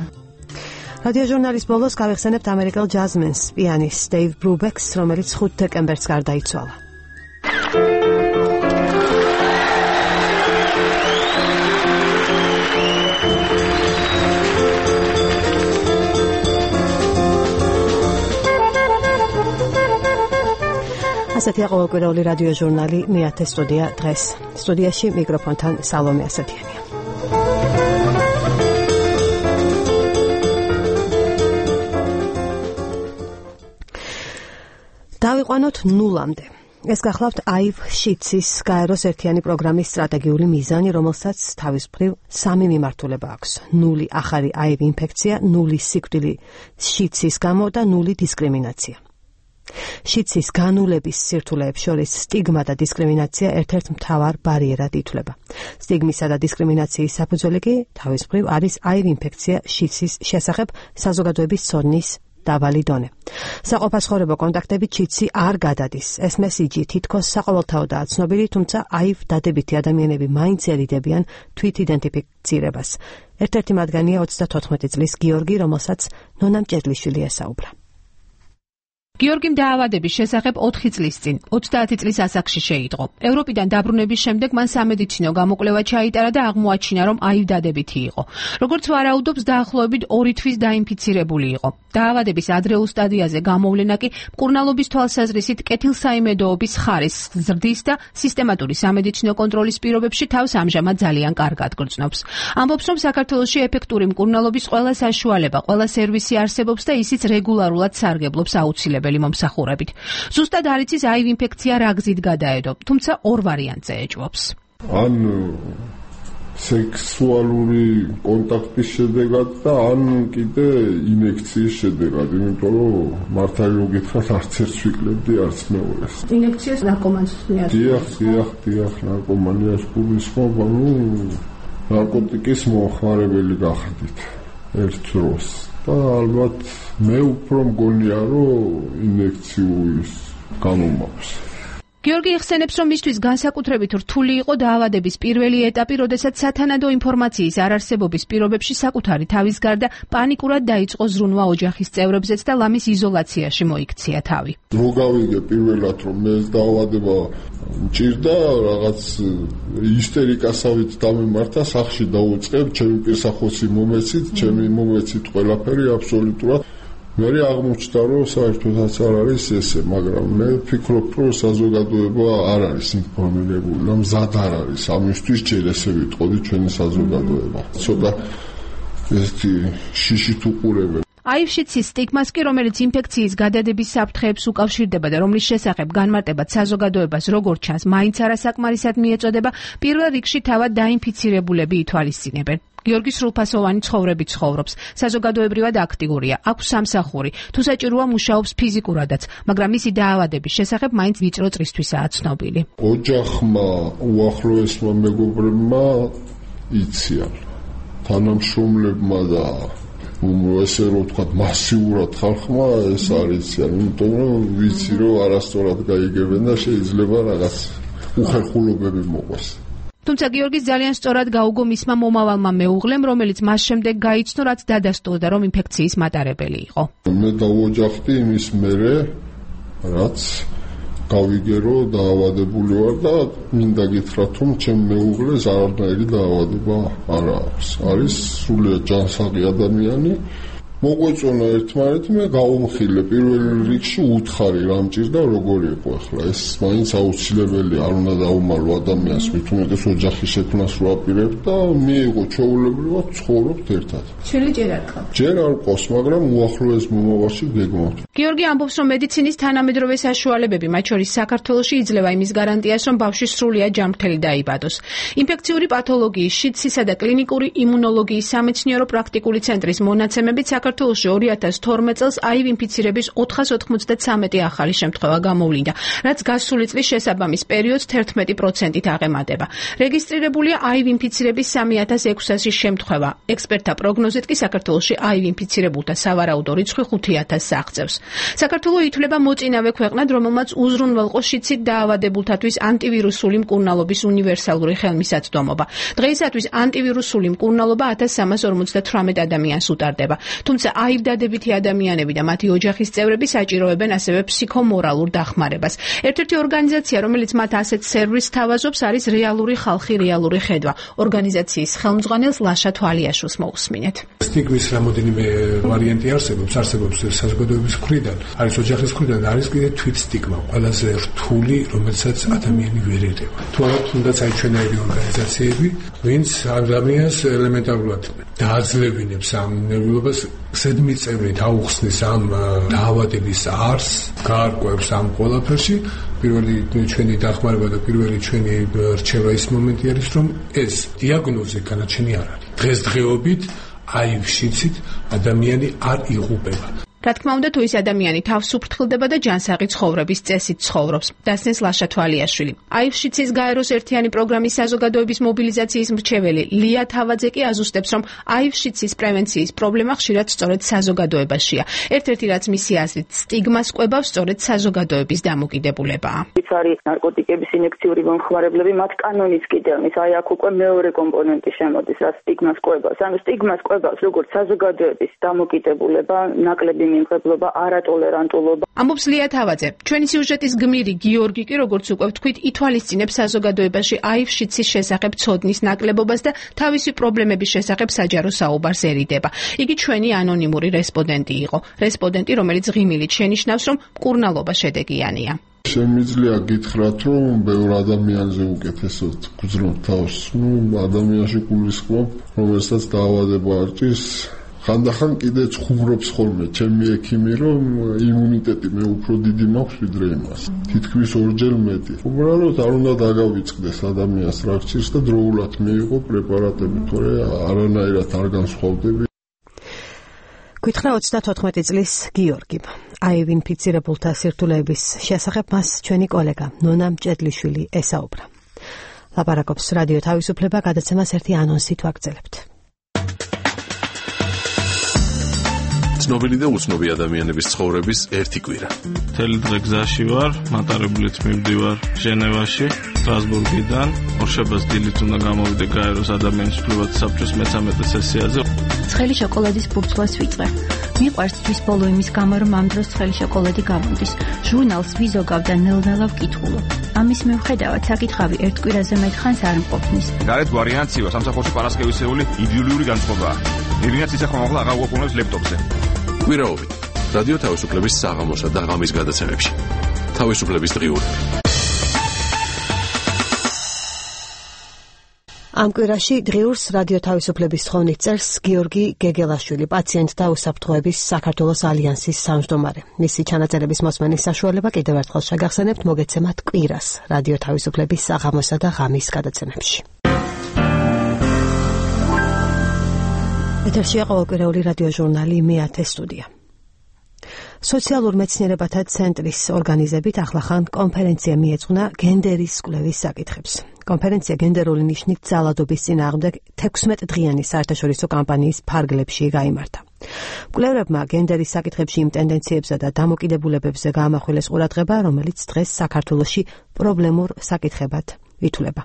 რადიოჟურნალის ბოლოს გავიხსენებთ ამერიკელ ჯაზმენს, პიანისტს დეივ ბრუბექს, რომელიც 5 დეკემბერს გარდაიცვალა. ასეთია ყოველკვირეული რადიოჟურნალი მეათე სტუდია დღეს. სტუდიაში მიკროფონთან სალომე ასათიანია. დავიყვანოთ ნულამდე. ეს გახლავთ აივ შიცის გაეროს ერთიანი პროგრამის სტრატეგიული მიზანი, რომელსაც თავის მხრივ 3 მიმართულება აქვს. 0 ახალი აივ ინფექცია, 0 სიკვდილი შიცის გამო და 0 დისკრიმინაცია. შიცის განულების სირთულეებს შორის სტიგმა და დისკრიმინაცია ერთ-ერთ მთავარ ბარიერად ითვლება. სტიგმისა და დისკრიმინაციის საფუძველი კი თავის მხრივ არის აივ ინფექცია შიცის შესახებ საზოგადოების ცოდნის დაბალი დონე. საყოფაცხოვრებო კონტაქტებით შიცი არ გადადის. ეს მესიჯი თითქოს საყოველთაოდაა ცნობილი, თუმცა აივ დადებითი ადამიანები მაინც ერიდებიან თვით იდენტიფიცირებას. ერთ-ერთი მათგანია 34 წლის გიორგი, რომელსაც ნონა მჭედლიშვილი ესაუბრა. გიორგიმ დაავადების შესახებ 4 წლის წინ 30 წლის ასაკში შეიტყო. ევროპიდან დაბრუნების შემდეგ მან სამედიცინო გამოკვლევა ჩაიტარა და აღმოაჩინა, რომ აივ დადებითი იყო. როგორც ვარაუდობს, დაახლოებით 2 თვის დაინფიცირებული იყო. დაავადების ადრეულ სტადიაზე გამოვლენა კი მკურნალობის თვალსაზრისით კეთილსაიმედოობის ხარისხს ზრდის და სისტემატური სამედიცინო კონტროლის პირობებში თავს ამჟამად ძალიან კარგად გრძნობს. ამბობს, რომ საქართველოში ეფექტური მკურნალობის ყველა საშუალება, ყველა სერვისი არსებობს და ისიც რეგულარულად სარგებლობს აუცილებლად მომსახურებით. ზუსტად არ იცის აივ ინფექცია რა გზით გადაედო, თუმცა 2 ვარიანტზე ეჭვობს. ან სექსუალური კონტაქტის შედეგად და ან კიდე ინექციის შედეგად, იმიტომ რომ მართალი რომ გითხრათ, არც ერთს ვიკლებდი, არც მეორეს. ინექციას ნარკომანს მიაწყობ. დიახ, ნარკომანიას გულისხმობ, ნარკოტიკის მომხმარებელი გახდით ერთ დროს. და ალბათ მე უფრო მგონია, რომ ინექციის გამომაქვს. გიორგი იხსენებს, რომ მისთვის განსაკუთრებით რთული იყო დაავადების პირველი ეტაპი, როდესაც სათანადო ინფორმაციის არარსებობის პირობებში საკუთარი თავის გარდა პანიკურად დაიწყო ზრუნვა ოჯახის წევრებზეც და ლამის იზოლაციაში მოიქცია თავი. მოგავიგე პირველად, რომ მე ეს დაავადება მჭირდა, რაღაც ისტერიკასავით დამემართა, სახლში დაუწყებ, ჩემი პირსახოსი მომეცით, ჩემი მომეცით ყველაფერი აბსოლუტურად. მე აღმოჩნდა, რომ საერთოდაც არ არის ესე, მაგრამ მე ვფიქრობ, რომ საზოგადოება არ არის ინფორმირებული, რომ მზად არ არის ამისთვის ჯერ ესე ვიტყოდი ჩვენი საზოგადოება. ცოტა ესეთი შიშით უყურებენ. აივ-შიცის სტიგმას კი, რომელიც ინფექციის გადადების საფრთხეებს უკავშირდება და რომლის შესახებ განმარტებად საზოგადოებას როგორც ჩანს, მაინც არასაკმარისად მიეწოდება, პირველ რიგში თავად დაინფიცირებულები ითვალისწინებენ. გიორგი სრულფასოვანი ცხოვრებით ცხოვრობს, საზოგადოებრივად აქტიურია, აქვს სამსახური, თუ საჭიროა მუშაობს ფიზიკურადაც, მაგრამ მისი დაავადების შესახებ მაინც ვიწრო წრისთვისაა ცნობილი. ოჯახმა, უახლოესმა მეგობრებმა იციან, თანამშრომლებმა და ესე რომ ვთქვათ, მასიურად ხალხმა ეს არ იციან, იმიტომ რომ ვიცი, რომ არასწორად გაიგებენ და შეიძლება რაღაც უხერხულობები მოყვეს. თუმცა გიორგის ძალიან სწორად გაუგო მისმა მომავალმა მეუღლემ, რომელიც მას შემდეგ გაიცნო, რაც დადასტურდა, რომ ინფექციის მატარებელი იყო. მე დავოჯახდი იმის მერე, რაც გავიგე, რომ დაავადებული ვარ და მინდა გითხრათ, რომ ჩემ მეუღლეს არანაირი დაავადება არ აქვს. არის სრულიად ჯანსაღი ადამიანი მოგვეწონა ერთმანეთმა გავუმხილე პირველ რიგში უთხარი რა მჭირდა როგორი იყო ახლა ეს მაინც აუცილებელია არ უნდა დაუმალო ადამიანს მით უმეტეს ოჯახის შექმნას რო აპირებ და მიიღო ჩვეულებრივად ცხოვრობთ ერთად შენი ჯერ არ ყავს ჯერ არ ყავს მაგრამ უახლოეს მომავალში გეგმავთ გიორგი ამბობს რომ მედიცინის თანამედროვე საშუალებები მათ შორის საქართველოში იძლევა იმის გარანტიას რომ ბავშვი სრულიად ჯანმრთელი დაიბადოს ინფექციური პათოლოგიის შიდსისა და კლინიკური იმუნოლოგიის სამეცნიერო პრაქტიკული ცენტრის მონაცემებით საქართველოში 2012 წელს აივ ინფიცირების 493 ახალი შემთხვევა გამოვლინდა, რაც გასული წლის შესაბამის პერიოდს 11%-ით აღემატება. რეგისტრირებულია აივ ინფიცირების 3600 შემთხვევა. ექსპერტთა პროგნოზით კი საქართველოში აივ ინფიცირებულთა სავარაუდო რიცხვი 5000-ს აღწევს. საქართველო ითვლება მოწინავე ქვეყნად, რომელმაც უზრუნველყო შიდსით დაავადებულთათვის ანტივირუსული მკურნალობის უნივერსალური ხელმისაწვდომობა. დღეისათვის ანტივირუსული მკურნალობა 1358 ადამიანს უტარდება. თუმცა აივ დადებითი ადამიანები და მათი ოჯახის წევრები საჭიროებენ ასევე ფსიქომორალურ დახმარებას. ერთ-ერთი ორგანიზაცია, რომელიც მათ ასეთ სერვისს თავაზობს, არის რეალური ხალხი, რეალური ხედვა. ორგანიზაციის ხელმძღვანელს ლაშა თვალიაშვილს მოусმინეთ. სტიგმის რამოდენიმე ვარიანტი არსებობს საზოგადოების მხრიდან, არის ოჯახის მხრიდან, არის კიდე თვით სტიგმა, ყველაზე რთული, რომელსაც ადამიანი ვერ ერევა. თუ არა თუნდაც აი ჩვენაირი ორგანიზაციები, ვინც ადამიანს ელემენტარულად დააძლევინებს ამ ნერვიულობას ზედმიწევნით აუხსნის ამ დაავადების არსს, გაარკვევს ამ ყველაფერში. პირველი ჩვენი დახმარება და პირველი ჩვენი რჩევა ის მომენტი არის, რომ ეს დიაგნოზი განაჩენი არ არის. დღესდღეობით აივ შიდსით ადამიანი არ იღუპება. რა თქმა უნდა, თუ ის ადამიანი თავს უფრთხილდება და ჯანსაღი ცხოვრების წესით ცხოვრობს, დასნეს ლაშა თვალიაშვილი. აივ შიდსის გაეროს ერთიანი პროგრამის საზოგადოების მობილიზაციის მრჩეველი ლია თავაძე კი აზუსტებს, რომ აივ შიდსის პრევენციის პრობლემა ხშირად სწორედ საზოგადოებაშია. ერთ-ერთი რაც მისი აზრით სტიგმას კვებავს, სწორედ საზოგადოების დამოკიდებულებაა. ის არის ნარკოტიკების ინექციური მომხმარებლები, მათ კანონის კიდევნის, აი აქ უკვე მეორე კომპონენტი შემოდის, რაც სტიგმას კვებავს. ანუ სტიგმას კვებავს როგორც საზოგადოების დამოკიდებულება, ნაკლები მიმღებლობა, არატოლერანტულობა. ამბობს ლია თავაძე. ჩვენი სიუჟეტის გმირი გიორგი კი, როგორც უკვე ვთქვით, ითვალისწინებს საზოგადოებაში აივ შიდსის შესახებ ცოდნის ნაკლებობას და თავისი პრობლემების შესახებ საჯარო საუბარს ერიდება. იგი ჩვენი ანონიმური რესპონდენტი იყო. რესპონდენტი, რომელიც ღიმილით შენიშნავს, რომ მკურნალობა შედეგიანია. შემიძლია გითხრათ, რომ ბევრ ადამიანზე უკეთესად გძნობ თავს, ადამიანში გულისხმობ, რომელსაც დაავადება არჭის ხანდახან კიდე ცხოვრობს ხოლმე ჩემი ექიმი რომ იმუნიტეტი მე უფრო დიდი მაქვს ვიდრე იმას თითქმის ორჯერ მეტი უბრალოდ არ უნდა დაგავიწყდეს ადამიანს რაქცირს და დროულად მიიღო პრეპარატები თორე არანაირად არ განსხვავდები გითხრა 34 წლის გიორგიმ აივ ინფიცირებულთა სირთულეების შესახებ მას ჩვენი კოლეგა ნონა მჭედლიშვილი ესაუბრა ლაპარაკობს რადიო თავისუფლება გადაცემას ერთი ანონსით ვაგრძელებთ ცნობილი და უცნობი ადამიანების ცხოვრების ერთი კვირა. მთელი დღე გზაში ვარ, მატარებლით მივდივარ ჟენევაში, სტრასბურგიდან, ორშაბათს დილით უნდა გამოვიდე გაეროს ადამიანის უფლებათა საბჭოს მე-13 სესიაზე. ცხელი შოკოლადის ბურთულას ვიწყე. მიყვარს თვის ბოლო იმის გამო, რომ ამ დროს ცხელი შოკოლადი გამოდის. ჟურნალს ვიზოგავ და ნელ-ნელა ვკითხულობ. ამის მიუხედავად საკითხავი ერთ კვირაზე მეტ ხანს არ მყოფნის. გარეთ ვარიანციო, სამსახურში პარასკევისეული იდილიური განწყობაა. ირინაც ისე ხომ აღარ უყურებს ლეპტოპზე. კვირაობით რადიო თავისუფლების საღამოსა და ღამის გადაცემებში. თავისუფლების დღიური. ამ კვირაში დღიურს რადიო თავისუფლების თხოვნით წერს გიორგი გეგელაშვილი, პაციენტთა უსაფრთხოების საქართველოს ალიანსის სამმჯდომარე. მისი ჩანაწერების მოსმენის საშუალება კიდევ ერთხელ შეგახსენებთ მოგეცემათ კვირას რადიო თავისუფლების საღამოსა და ღამის გადაცემებში. ეთერშია ყოველკვირეული რადიო ჟურნალი მე-10 სტუდია. სოციალურ მეცნიერებათა ცენტრის ორგანიზებით ახლახან კონფერენცია მიეძღვნა გენდერის კვლევის საკითხებს. კონფერენცია გენდერული ნიშნით ძალადობის წინააღმდეგ 16 დღიანი საერთაშორისო კამპანიის ფარგლებში გაიმართა. მკვლევრებმა გენდერის საკითხებში იმ ტენდენციებსა და დამოკიდებულებებზე გაამახვილეს ყურადღება, რომელიც დღეს საქართველოში პრობლემურ საკითხებად ითვლება.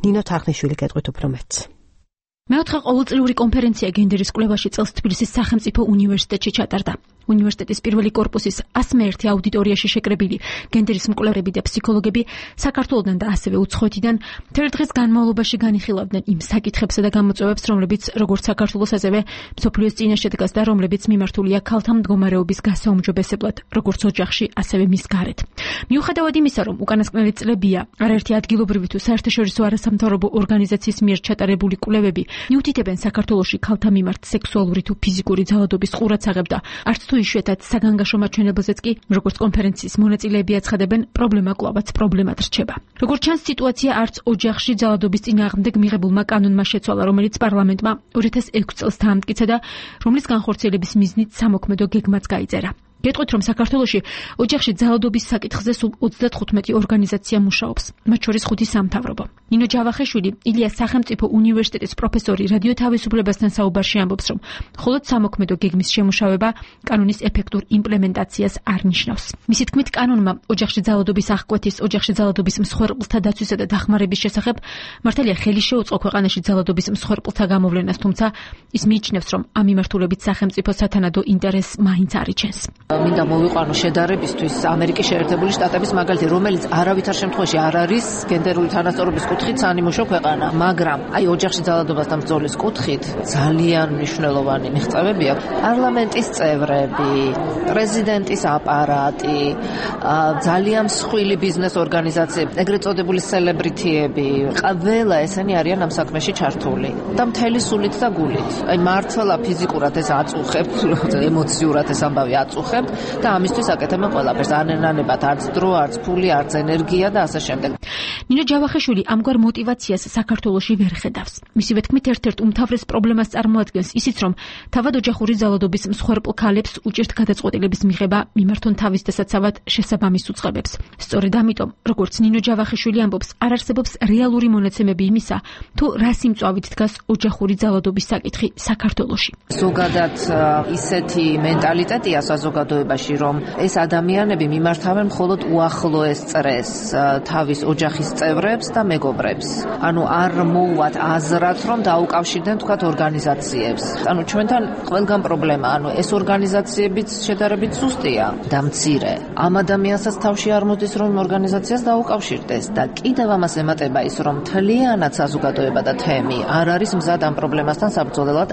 ნინო თარხნიშვილი გეტყვით უფრო მეტს. მეოთხე ყოველწლიური კონფერენცია გენდერის კვლევაში წელს თბილისის სახელმწიფო უნივერსიტეტში ჩატარდა. უნივერსიტეტის პირველი კორპუსის 101 აუდიტორიაში შეკრებილი გენდერის მკვლევრები და ფსიქოლოგები საქართველოსთან და ასევე უცხოეთიდან მთელ დღეს განმავლობაში განიხილავდნენ იმ საკითხებსა და გამოწვევებს, რომლებიც როგორც საქართველოს, ასევე მსოფლიოს წინაშე დგას და რომლებიც მიმართულია ქალთა მდგომარეობის გასაუმჯობესებლად, როგორც ოჯახში, ასევე მის გარეთ. მიუხედავად იმისა, რომ უკანასკნელი წლებია არაერთი ადგილობრივი თუ საერთაშორისო არასამთავრობო ორგანიზაციის მიერ ჩატარებული კვლევები მიუთითებენ საქართველოში ქალთა მიმართ სექსუალური თუ ფიზიკური ძალადობის ყურადსაღებ და არც თუ იშვიათად საგანგაშო მაჩვენებელზეც კი, როგორც კონფერენციის მონაწილეები აცხადებენ, პრობლემა კვლავაც პრობლემად რჩება. როგორც ჩანს, სიტუაცია არც ოჯახში ძალადობის წინააღმდეგ მიღებულმა კანონმა შეცვალა, რომელიც პარლამენტმა 2006 წელს დაამტკიცა და რომლის განხორციელების მიზნით სამოქმედო გეგმაც გაიწერა. გეტყვით, რომ საქართველოში ოჯახში ძალადობის საკითხზე სულ 35 ორგანიზაცია მუშაობს, მათ შორის 5 სამთავრობო. ნინო ჯავახიშვილი, ილიას სახელმწიფო უნივერსიტეტის პროფესორი რადიო თავისუფლებასთან საუბარში ამბობს, რომ მხოლოდ სამოქმედო გეგმის შემუშავება კანონის ეფექტურ იმპლემენტაციას არ ნიშნავს. მისი თქმით, კანონმა ოჯახში ძალადობის აღკვეთის, ოჯახში ძალადობის მსხვერპლთა დაცვისა და დახმარების შესახებ მართალია ხელი შეუწყო ქვეყანაში ძალადობის მსხვერპლთა გამოვლენას, თუმცა ის მიიჩნევს, რომ ამ მიმართულებით სახელმწიფო სათანადო ინტერესს მაინც არ იჩენს. მინდა მოვიყვანო შედარებისთვის ამერიკის შეერთებული შტატების მაგალითი, რომელიც არავითარ შემთხვევაში არ არის გენდერული თანასწორობის კუთხით სანიმუშო ქვეყანა, მაგრამ აი ოჯახში ძალადობასთან ბრძოლის კუთხით ძალიან მნიშვნელოვანი მიღწევები აქვს. პარლამენტის წევრები, პრეზიდენტის აპარატი, ძალიან მსხვილი ბიზნეს ორგანიზაციები, ეგრეთ წოდებული სელებრიტიები, ყველა ესენი არიან ამ საქმეში ჩართული და მთელი სულით და გულით. აი მართლა ფიზიკურად ეს აწუხებთ, ემოციურად ეს ამბავი აწუხებთ. და ამისთვის აკეთებენ ყველაფერს, ანენანებათ არც დრო, არც ფული, არც ენერგია და ასე შემდეგ. ნინო ჯავახიშვილი ამგვარ мотиваციას საქართველოში ვერ ხედავს. მისივე თქმით, ერთ-ერთ უმთავრეს პრობლემას წარმოადგენს ისიც, რომ თავად ოჯახური ძალადობის მსხვერპლ ქალებს უჭირთ გადაწყვეტილების მიღება მიმართონ თავის დასაცავად შესაბამის უწყებებს. სწორედ ამიტომ, როგორც ნინო ჯავახიშვილი ამბობს, არ არსებობს რეალური მონაცემები იმისა, თუ რა სიმწვავით დგას ოჯახური ძალადობის საკითხი საქართველოში. ზოგადად ისეთი მენტალიტეტია საზოგადოებაში, რომ ეს ადამიანები მიმართავენ მხოლოდ უახლოეს წრეს, თავის ოჯახის წევრებს და მეგობრებს. ანუ არ მოუვათ აზრად, რომ დაუკავშირდნენ თქვათ ორგანიზაციებს. ანუ ჩვენთან ყველგან პრობლემა, ანუ ეს ორგანიზაციებიც შედარებით სუსტია და მცირე. ამ ადამიანსაც თავში არ მოდის, რომ ორგანიზაციას დაუკავშირდეს და კიდევ ამას ემატება ის, რომ თლიანად საზოგადოება და თემი არ არის მზად ამ პრობლემასთან საბრძოლველად.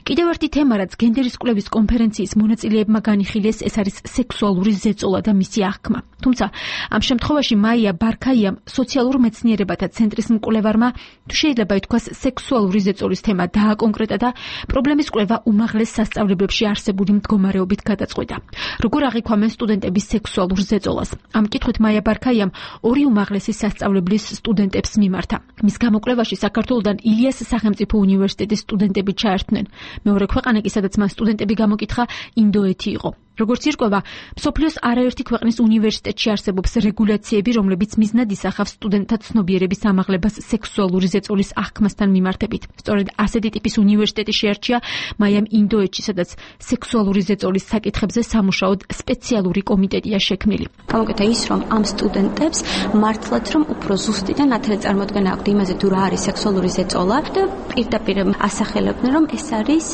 კიდევ ერთი თემა, რაც გენდერის კვლევის კონფერენციის მონაწილეებმა განიხილეს, ეს არის სექსუალური ზეწოლა და მისი აღქმა. თუმცა ამ შემთხვევაში მაია ბარქაიამ, სოციალურ მეცნიერებათა ცენტრის მკვლევარმა, თუ შეიძლება ითქვას, სექსუალური ზეწოლის თემა დააკონკრეტა და პრობლემის კვლევა უმაღლეს სასწავლებლებში არსებული მდგომარეობით გადაწყვეტა. როგორ აღიქვამენ სტუდენტების სექსუალურ ზეწოლას? ამ კითხვით მაია ბარქაიამ 2 უმაღლესი სასწავლებლის სტუდენტებს მიმართა. მის გამოკვლევაში საქართველოსთან ილიას სახელმწიფო უნივერსიტეტის სტუდენტები ჩაერთნენ. მეორე ქვეყანა კი, სადაც მან სტუდენტები გამოკითხა, ინდოეთი იყო. როგორც ირკვევა, მსოფლიოს არაერთი ქვეყნის უნივერსიტეტში არსებობს რეგულაციები, რომლებიც მიზნად ისახავს სტუდენტთა ცნობიერების ამაღლებას სექსუალური ზეწოლის აღქმასთან მიმართებით. სწორედ ასეთი ტიპის უნივერსიტეტი შეარჩია მაიამ ინდოეთში, სადაც სექსუალური ზეწოლის საკითხებზე სამუშაოდ სპეციალური კომიტეტია შექმნილი. გამოკეთა ის, რომ ამ სტუდენტებს მართლაც რომ უფრო ზუსტი და ნათელი წარმოდგენა აქვთ იმაზე, თუ რა არის სექსუალური ზეწოლა და პირდაპირ ასახელებდნენ, რომ ეს არის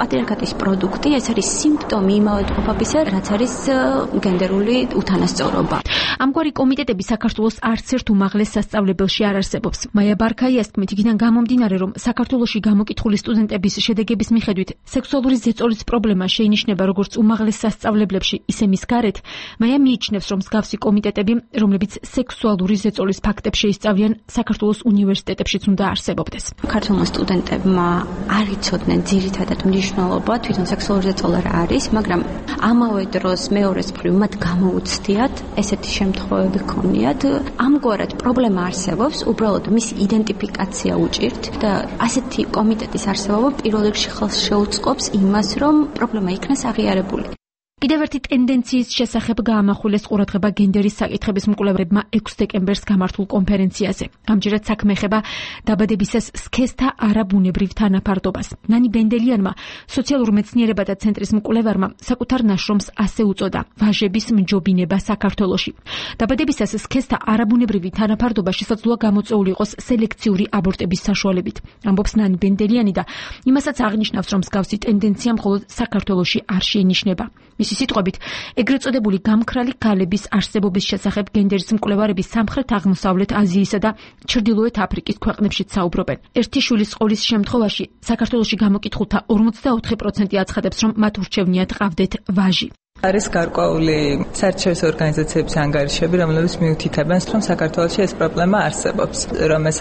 პატრიარქატის პროდუქტი, ეს არის სიმპტომი იმავედყოფობის, რაც არის გენდერული უთანასწორობა. ამგვარი კომიტეტები საქართველოს არც ერთ უმაღლეს სასწავლებელში არ არსებობს. მაია ბარქაიას თქმით, იქიდან გამომდინარე, რომ საქართველოში გამოკითხული სტუდენტების შედეგების მიხედვით სექსუალური ზეწოლის პრობლემა შეინიშნება როგორც უმაღლეს სასწავლებლებში, ისე მის გარეთ, მაია მიიჩნევს, რომ მსგავსი კომიტეტები, რომლებიც სექსუალური ზეწოლის ფაქტებს შეისწავლიან, საქართველოს უნივერსიტეტებშიც უნდა არსებობდეს. ქართულმა სტუდენტებმა არ იცოდნენ ძირითადად მნიშვნელობა თვითონ სექსუალური ზეწოლა რა არის, მაგრამ ამავე დროს მეორეს მხრივ მათ გამოუცდიათ ესეთი შემთხვევები ქონიათ. ამგვარად პრობლემა არსებობს, უბრალოდ მის იდენტიფიკაცია უჭირთ და ასეთი კომიტეტის არსებობა პირველ რიგში ხელს შეუწყობს იმას, რომ პრობლემა იქნას აღიარებული. კიდევ ერთი ტენდენციის შესახებ გაამახვილეს ყურადღება გენდერის საკითხების მკვლევრებმა 6 დეკემბერს გამართულ კონფერენციაზე. ამჯერად საქმე ეხება დაბადებისას სქესთა არაბუნებრივ თანაფარდობას. ნანი ბენდელიანმა, სოციალურ მეცნიერებათა ცენტრის მკვლევარმა, საკუთარ ნაშრომს ასე უწოდა: ვაჟების მჯობინება საქართველოში. დაბადებისას სქესთა არაბუნებრივი თანაფარდობა შესაძლოა გამოწვეული იყოს სელექციური აბორტების საშუალებით. ამბობს ნანი ბენდელიანი და იმასაც აღნიშნავს, რომ მსგავსი ტენდენცია მხოლოდ საქართველოში არ შეინიშნება. მისი სიტყვებით, ეგრეთ წოდებული გამქრალი გალების არსებობის შესახებ გენდერის მკვლევარები სამხრეთ-აღმოსავლეთ აზიისა და ჩრდილოეთ აფრიკის ქვეყნებშიც საუბრობენ. ერთი შვილის ყოლის შემთხვევაში საქართველოში გამოკითხულთა 44% აცხადებს, რომ მათ ურჩევნიათ ყავდეთ ვაჟი. არის გარკვეული საერთაშორისო ორგანიზაციების ანგარიშები, რომლებიც მიუთითებენ, რომ საქართველოში ეს პრობლემა არსებობს, რომ ეს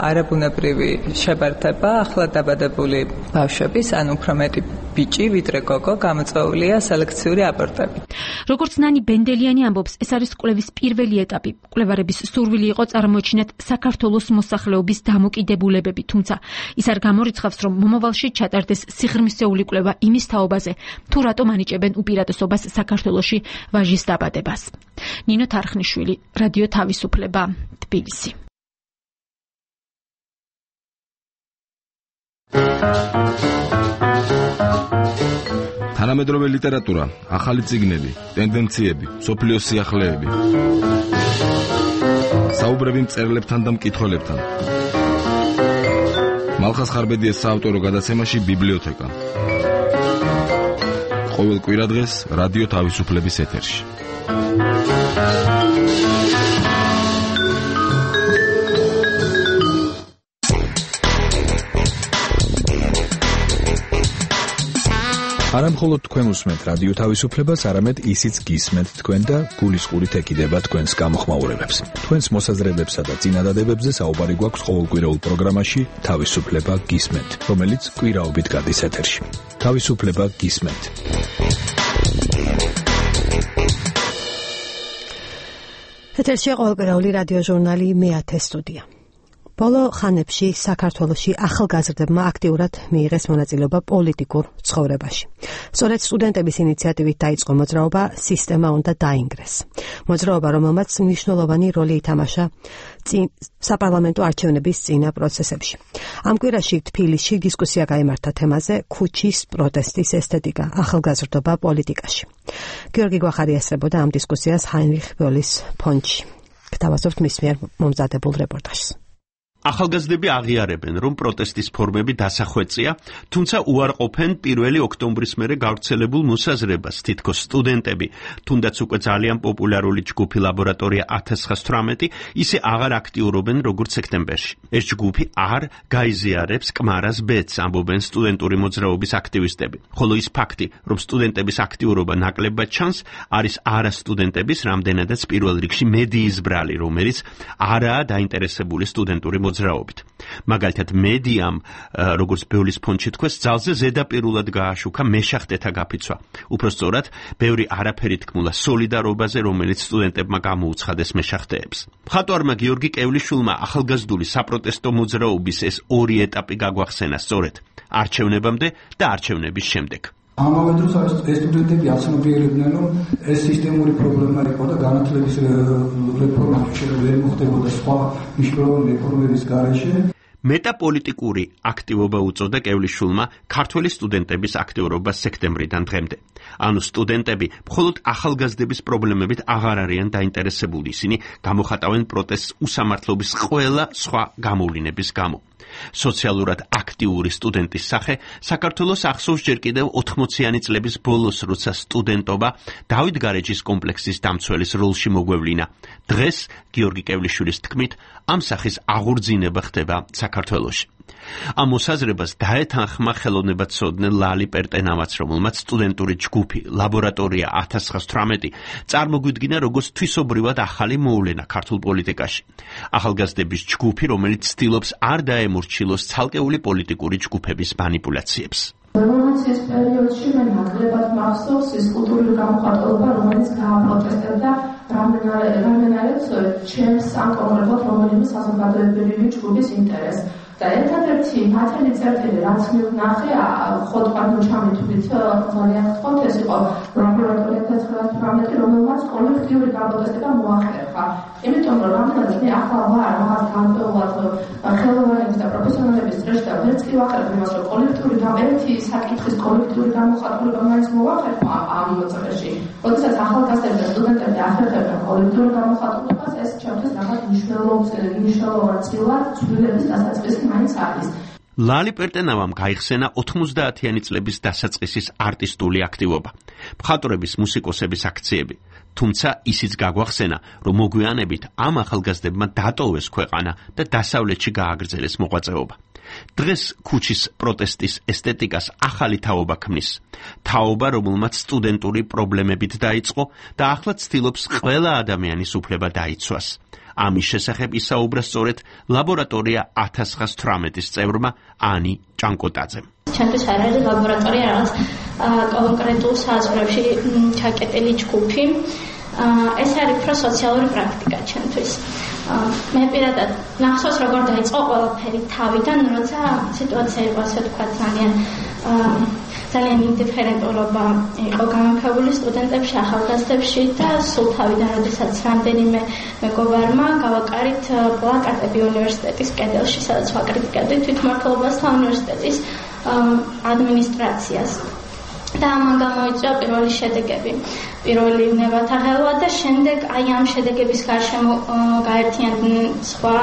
არაბუნებრივი შებართება ახლა დაბადებული ბავშვების, ან უფრო მეტი ბიჭი, ვიდრე გოგო, გამოწვეულია სელექციური აბორტებით. როგორც ნანი ბენდელიანი ამბობს, ეს არის კვლევის პირველი ეტაპი. კვლევარების სურვილი იყო წარმოეჩინათ საქართველოს მოსახლეობის დამოკიდებულებები, თუმცა ის არ გამორიცხავს, რომ მომავალში ჩატარდეს სიღრმისეული კვლევა იმის თაობაზე, თუ რატომ ანიჭებენ უპირატესობას საქართველოში ვაჟის დაბადებას. ნინო თარხნიშვილი, რადიო თავისუფლება, თბილისი. თანამედროვე ლიტერატურა, ახალი წიგნები, ტენდენციები, სოფლიოს სიახლეები. საუბრები მწერლებთან და მკითხველებთან. მალხას ხარბედიას საავტორო გადაცემაში ბიბლიოთეკა. ყოველ კვირადღეს რადიო თავისუფლების ეთერში. არა მხოლოდ თქვენ უსმენთ რადიო თავისუფლებას, არამედ ისიც გისმენთ თქვენ და გულისყურით ეკიდება თქვენს გამოხმაურებებს. თქვენს მოსაზრებებსა და წინადადებებზე საუბარი გვაქვს ყოველკვირეულ პროგრამაში თავისუფლება გისმენთ, რომელიც კვირაობით გადის ეთერში. თავისუფლება გისმენთ. ეთერში ყოველკვირეული რადიო ჟურნალი მე-10 სტუდია. ბოლო ხანებში საქართველოში ახალგაზრდებმა აქტიურად მიიღეს მონაწილეობა პოლიტიკურ ცხოვრებაში. სწორედ სტუდენტების ინიციატივით დაიწყო მოძრაობა „სისტემა უნდა დაინგრეს“. მოძრაობა, რომელმაც მნიშვნელოვანი როლი ითამაშა საპარლამენტო არჩევნების წინა პროცესებში. ამ კვირაში თბილისში დისკუსია გაიმართა თემაზე „ქუჩის პროტესტის ესთეტიკა, ახალგაზრდობა პოლიტიკაში“. გიორგი გვახარი ესწრებოდა ამ დისკუსიას ჰაინრიხ ბოლის ფონდში. გთავაზობთ მის მიერ მომზადებულ რეპორტაჟს. ახალგაზრდები აღიარებენ, რომ პროტესტის ფორმები დასახვეწია, თუმცა უარყოფენ 1 ოქტომბრის მერე გავრცელებულ მოსაზრებას, თითქოს სტუდენტები, თუნდაც უკვე ძალიან პოპულარული ჯგუფი ლაბორატორია 1918, ისე აღარ აქტიურობენ როგორც სექტემბერში. ეს ჯგუფი არ გაიზიარებს კმარას ბედს, ამბობენ სტუდენტური მოძრაობის აქტივისტები. ხოლო ის ფაქტი, რომ სტუდენტების აქტიურობა ნაკლებად ჩანს, არის არასტუდენტების, რამდენადაც პირველ რიგში მედიის ბრალი, რომელიც არაა დაინტერესებული სტუდენტური მოძრაობით. მაგალითად, მედიამ, როგორც ბეულის ფონდში თქვეს, ძალზე ზედაპირულად გააშუქა მეშახტეთა გაფიცვა. უფრო სწორად, ბევრი არაფერი თქმულა სოლიდარობაზე, რომელიც სტუდენტებმა გამოუცხადეს მეშახტეებს. მხატვარმა გიორგი კევლიშვილმა ახალგაზრდული საპროტესტო მოძრაობის ეს ორი ეტაპი გაგვახსენა სწორედ არჩევნებამდე და არჩევნების შემდეგ. ამავე დროს ეს სტუდენტები აცნობიერებდნენ, რომ ეს სისტემური პრობლემა იყო და განათლების რეფორმა ვერ მოხდებოდა სხვა მნიშვნელოვანი რეფორმების გარეშე. მეტაპოლიტიკური აქტივობა უწოდა კევლიშვილმა ქართველი სტუდენტების აქტიურობას სექტემბრიდან დღემდე. ანუ სტუდენტები მხოლოდ ახალგაზრდების პრობლემებით აღარ არიან დაინტერესებული, ისინი გამოხატავენ პროტესტს უსამართლობის ყველა სხვა გამოვლინების გამო. სოციალურად აქტიური სტუდენტის სახე საქართველოს ახსოვს ჯერ კიდევ 80-იანი წლების ბოლოს, როცა სტუდენტობა დავით გარეჯის კომპლექსის დამცველის როლში მოგვევლინა. დღეს გიორგი კევლიშვილის თქმით, ამ სახის აღორძინება ხდება საქართველოში. ამ მოსაზრებას დაეთანხმა ხელოვნებაცოდნე ლალი პერტენავაც, რომელმაც სტუდენტური ჯგუფი ლაბორატორია 1918 წარმოგვიდგინა როგორც თვისობრივად ახალი მოვლენა ქართულ პოლიტიკაში. ახალგაზრდების ჯგუფი, რომელიც ცდილობს არ დაემორჩილოს ცალკეული პოლიტიკური ჯგუფების მანიპულაციებს. რევოლუციის პერიოდში მე ნაკლებად მახსოვს ის კულტურული გამოხატულობა, რომელიც გააპროტესტებდა რამდენადაც ჩემს ან კონკრეტულად რომელიმე საზოგადოებრივი ჯგუფის ინტერესს. და ერთადერთი მათელი წერტილი, რაც მივნახე, ხոտყად ჩამითვლით ძალიან ხოთ, ეს იყო ლაბორატორია 1918, რომელმაც კოლექტიური გაპროტესტება მოახერხა. იმიტომ რომ რამდენადაც მე ახლა ვარ რაღაც განპეულად ხელოვანების და პროფესიონალების წრეში და ვერც კი ვახერხებ იმას, რომ კოლექტიური ერთი საკითხის კოლექტიური გამოხატულება მაინც მოახერხა ამ წრეში. როდესაც ახალგაზრდები და სტუდენტები ახერხებენ კოლექტიური გამოხატულებას, ეს ჩემთვის რაღაც მნიშვნელოვან წილად ცვლილების დასაწყისი მაინც არის. ლალი პერტენავამ გაიხსენა 90-იანი წლების დასაწყისის არტისტული აქტივობა, მხატვრების, მუსიკოსების აქციები, თუმცა ისიც გაგვახსენა, რომ მოგვიანებით ამ ახალგაზრდებმა დატოვეს ქვეყანა და დასავლეთში გააგრძელეს მოღვაწეობა. დღეს ქუჩის პროტესტის ესთეტიკას ახალი თაობა ქმნის. თაობა, რომელმაც სტუდენტური პრობლემებით დაიწყო და ახლა ცდილობს ყველა ადამიანის უფლება დაიცვას. ამის შესახებ ისაუბრა სწორედ ლაბორატორია 1918-ის წევრმა ანი ჭანკოტაძემ. ჩემთვის არ არის ლაბორატორია, რაღაც კონკრეტულ საზღვრებში ჩაკეტილი ჯგუფი. ეს არის უფრო სოციალური პრაქტიკა ჩემთვის. მე პირადად ნახსოვს, როგორ დაიწყო ყველაფერი თავიდან, როცა სიტუაცია იყო, ასე ვთქვათ, ძალიან ინდიფერენტულობა იყო გამოფებული სტუდენტებში, ახალგაზრდებში და სულ თავიდან, როდესაც რამდენიმე მეგობარმა გავაკარით პლაკატები უნივერსიტეტის კედელში, სადაც ვაკრიტიკებდით თვითმმართველობას და უნივერსიტეტის ადმინისტრაციას. და ამან გამოიწვია პირველი შედეგები, პირველი ნებათა ღელვა და შემდეგ აი ამ შედეგების გარშემო გაერთიანდნენ სხვა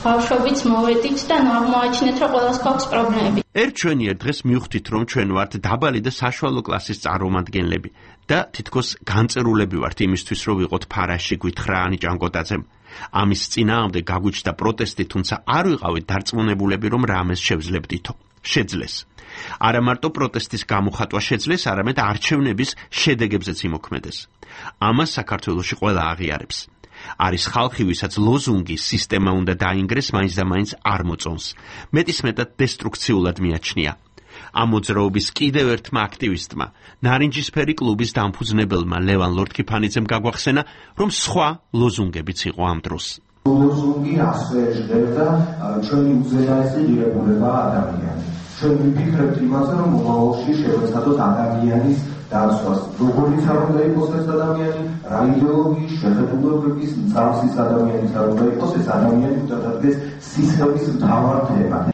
ბავშვებიც მოვედით და აღმოაჩინეთ, რომ ყველას გვაქვს პრობლემები. ჩვენიერ დღეს მივხვდით, რომ ჩვენ ვართ დაბალი და საშუალო კლასის წარმომადგენლები და თითქოს განწერულები ვართ იმისთვის, რომ ვიყოთ ფარაში, გითხრა ანი ჭანკოტაძემ. ამის წინააღმდეგ გაგვიჩნდა პროტესტი, თუმცა არ ვიყავით დარწმუნებულები, რომ რამეს შევძლებდითო. შეძლეს. არა მარტო პროტესტის გამოხატვა შეძლეს, არამედ არჩევნების შედეგებზეც იმოქმედეს. ამას საქართველოში ყველა აღიარებს. არის ხალხი, ვისაც ლოზუნგი სისტემა უნდა დაინგრეს, მაინც და მაინც არ მოწონს. მეტისმეტად დესტრუქციულად მიაჩნია. ამ მოძრაობის კიდევ ერთმა აქტივისტმა, ნარინჯისფერი კლუბის დამფუძნებელმა ლევან ლორთქიფანიძემ გაგვახსენა, რომ სხვა ლოზუნგებიც იყო ამ დროს. ლოზუნგი ასე ჟღერდა ჩვენი უზენაესი ღირებულება ადამიანის. ჩვენ ვიფიქრებთ იმაზე, რომ მომავალში შევეცადოთ ადამიანის დაცვას. როგორიც არ უნდა იყოს ეს ადამიანი, რა იდეოლოგიის, შეხედულებების, მწარსის ადამიანის არ უნდა იყოს ეს ადამიანი, უდადდეს სისტემის მთავარ თემად.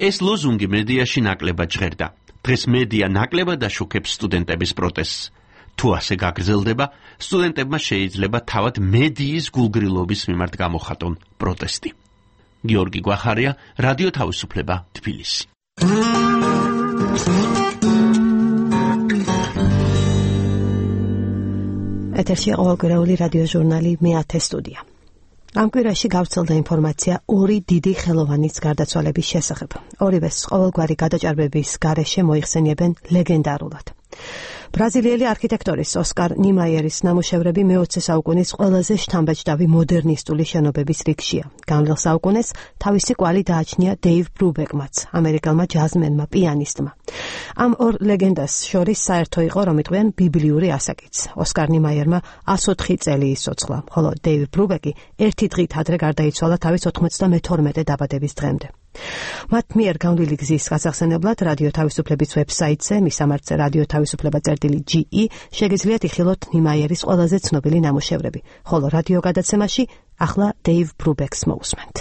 ეს ლოზუნგი მედიაში ნაკლებად ჟღერდა. დღეს მედია ნაკლებად აშუქებს სტუდენტების პროტესტს. თუ ასე გაგრძელდება, სტუდენტებმა შეიძლება თავად მედიის გულგრილობის მიმართ გამოხატონ პროტესტი. გიორგი გვახარია, რადიო თავისუფლება, თბილისი. ეთერში ყოველკვირეული რადიო ჟურნალი მე-10 სტუდია. ამ კვირაში გავრცელდა ინფორმაცია ორი დიდი ხელოვანის გარდაცვალების შესახებ. ორივეს ყოველგვარი გადაჭარბების გარეშე მოიხსენიებენ ლეგენდარულად. ბრაზილიელი არქიტექტორის ოსკარ ნიმაიერის ნამუშევრები მე-20 საუკუნის ყველაზე შთამბეჭდავი მოდერნისტული შენობების რიგშია. განვლილ საუკუნეს თავისი კვალი დააჩნია დეივ ბრუბეკმაც, ამერიკელმა ჯაზმენმა, პიანისტმა. ამ ორ ლეგენდას შორის საერთო იყო, რომ იყვნენ ბიბლიური ასაკიც. ოსკარ ნიმაიერმა 104 წელი ისოცლა, ხოლო დეივ ბრუბეკი ერთი დღით ადრე გარდაიცვალა თავის 92 დაბადების დღემდე. მათ მიერ განვლილი გზის გასახსენებლად რადიო თავისუფლების ვებსაიტზე მისამართზე რადიო თავისუფლება.ge შეგიძლიათ იხილოთ ნიმაიერის ყველაზე ცნობილი ნამუშევრები, ხოლო რადიო გადაცემაში ახლა დეივ ბრუბეკს მოусმენთ.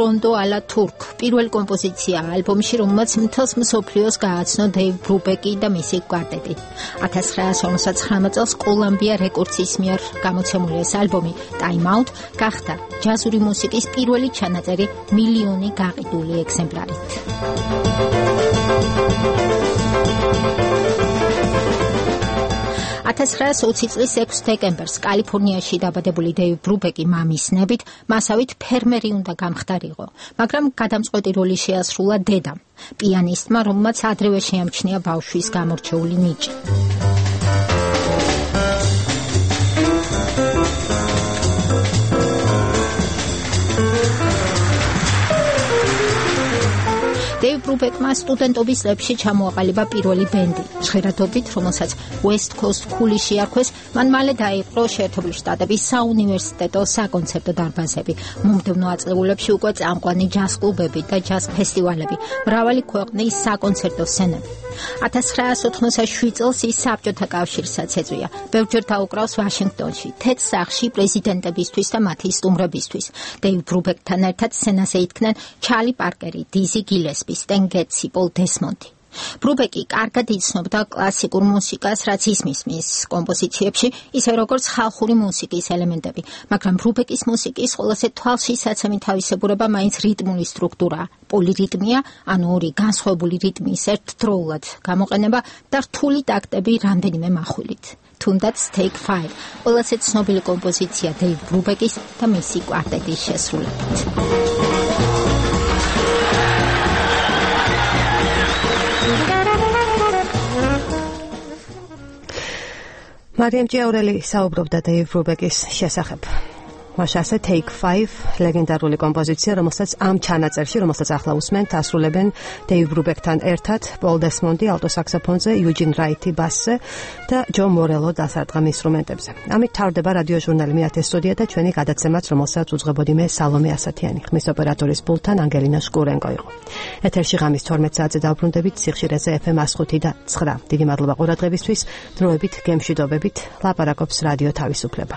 რონდო ალა თურქ პირველი კომპოზიცია ალბომში, რომელმაც მთელს მსოფლიოს გააცნო დეივ ბრუბეკი და მისი კვარტეტი. 1959 წელს კოლუმბია რეკორდსის მიერ გამოცემული ეს ალბომი Time Out გახდა ჯაზური მუსიკის პირველი ჩანაწერი მილიონი გაყიდული ეგზემპლარით. 1920 წლის 6 დეკემბერს კალიფორნიაში დაბადებული დეივ ბრუბეკი მამის ნებით მასავით ფერმერი უნდა გამხდარიყო, მაგრამ გადამწყვეტი როლი შეასრულა დედამ, პიანისტმა, რომელმაც ადრევე შეამჩნია ბავშვის გამორჩეული ნიჭი. დეივ ბრუბეკმა სტუდენტობის წლებში ჩამოაყალიბა პირველი ბენდი, ჟღერადობით, რომელსაც West Coast Cool-ი შეარქვეს, მან მალე დაიპყრო შეერთებული შტატების საუნივერსიტეტო საკონცერტო დარბაზები. მომდევნო აწლეულებში უკვე წამყვანი ჯაზ კლუბები და ჯაზ ფესტივალები, მრავალი ქვეყნის საკონცერტო სცენები. 1987 წელს ის საბჭოთა კავშირსაც ეწვია. ბევრჯერ დაუკრავს ვაშინგტონში, თეთრ სახლში პრეზიდენტებისთვის და მათი სტუმრებისთვის. დეივ ბრუბეკთან ერთად სცენაზე იდგნენ ჩარლი პარკერი, დიზი გილესპი, სტენ გეტსი, პოლ დესმონდი. ბრუბეკი კარგად იცნობდა კლასიკურ მუსიკას, რაც ისმის კომპოზიციებში, ისე როგორც ხალხური მუსიკის ელემენტები, მაგრამ ბრუბეკის მუსიკის ყველაზე თვალშისაცემი თავისებურება მაინც რიტმული სტრუქტურაა, პოლირიტმია, ანუ ორი განსხვავებული რიტმის ერთდროულად გამოყენება და რთული ტაქტები რამდენიმე מחვილით. თუნდაც Take 5, ყველაზე ცნობილი კომპოზიცია დეივ ბრუბეკის და მისი კვარტეტის შესრულებით. მარიამ ჭიაურელი საუბრობდა დეივ ბრუბეკის შესახებ. მაშასე Take 5 ლეგენდარული კომპოზიცია, რომელსაც ამ ჩანაწერში, რომელსაც ახლა უსმენთ, ასრულებენ დეივ ბრუბეკთან ერთად პოლ დესმონდი ალტო საქსოფონზე, იუჯინ რაიტი ბასზე და ჯო მორელო დასარტყამ ინსტრუმენტებზე. ამით თავდება რადიო ჟურნალი მეათე სტუდია და ჩვენი გადაცემაც, რომელსაც უძღვებოდი მე სალომე ასათიანი. ხმის ოპერატორის პულტთან ანგელინა შკურენკო იყო. ეთერში ღამის 12 საათზე დავბრუნდებით სიხშირეზე FM 105 და 9. დიდი მადლობა ყურადღებისთვის. დროებით გემშვიდობებით ლაპარაკობს რადიო თავისუფლება.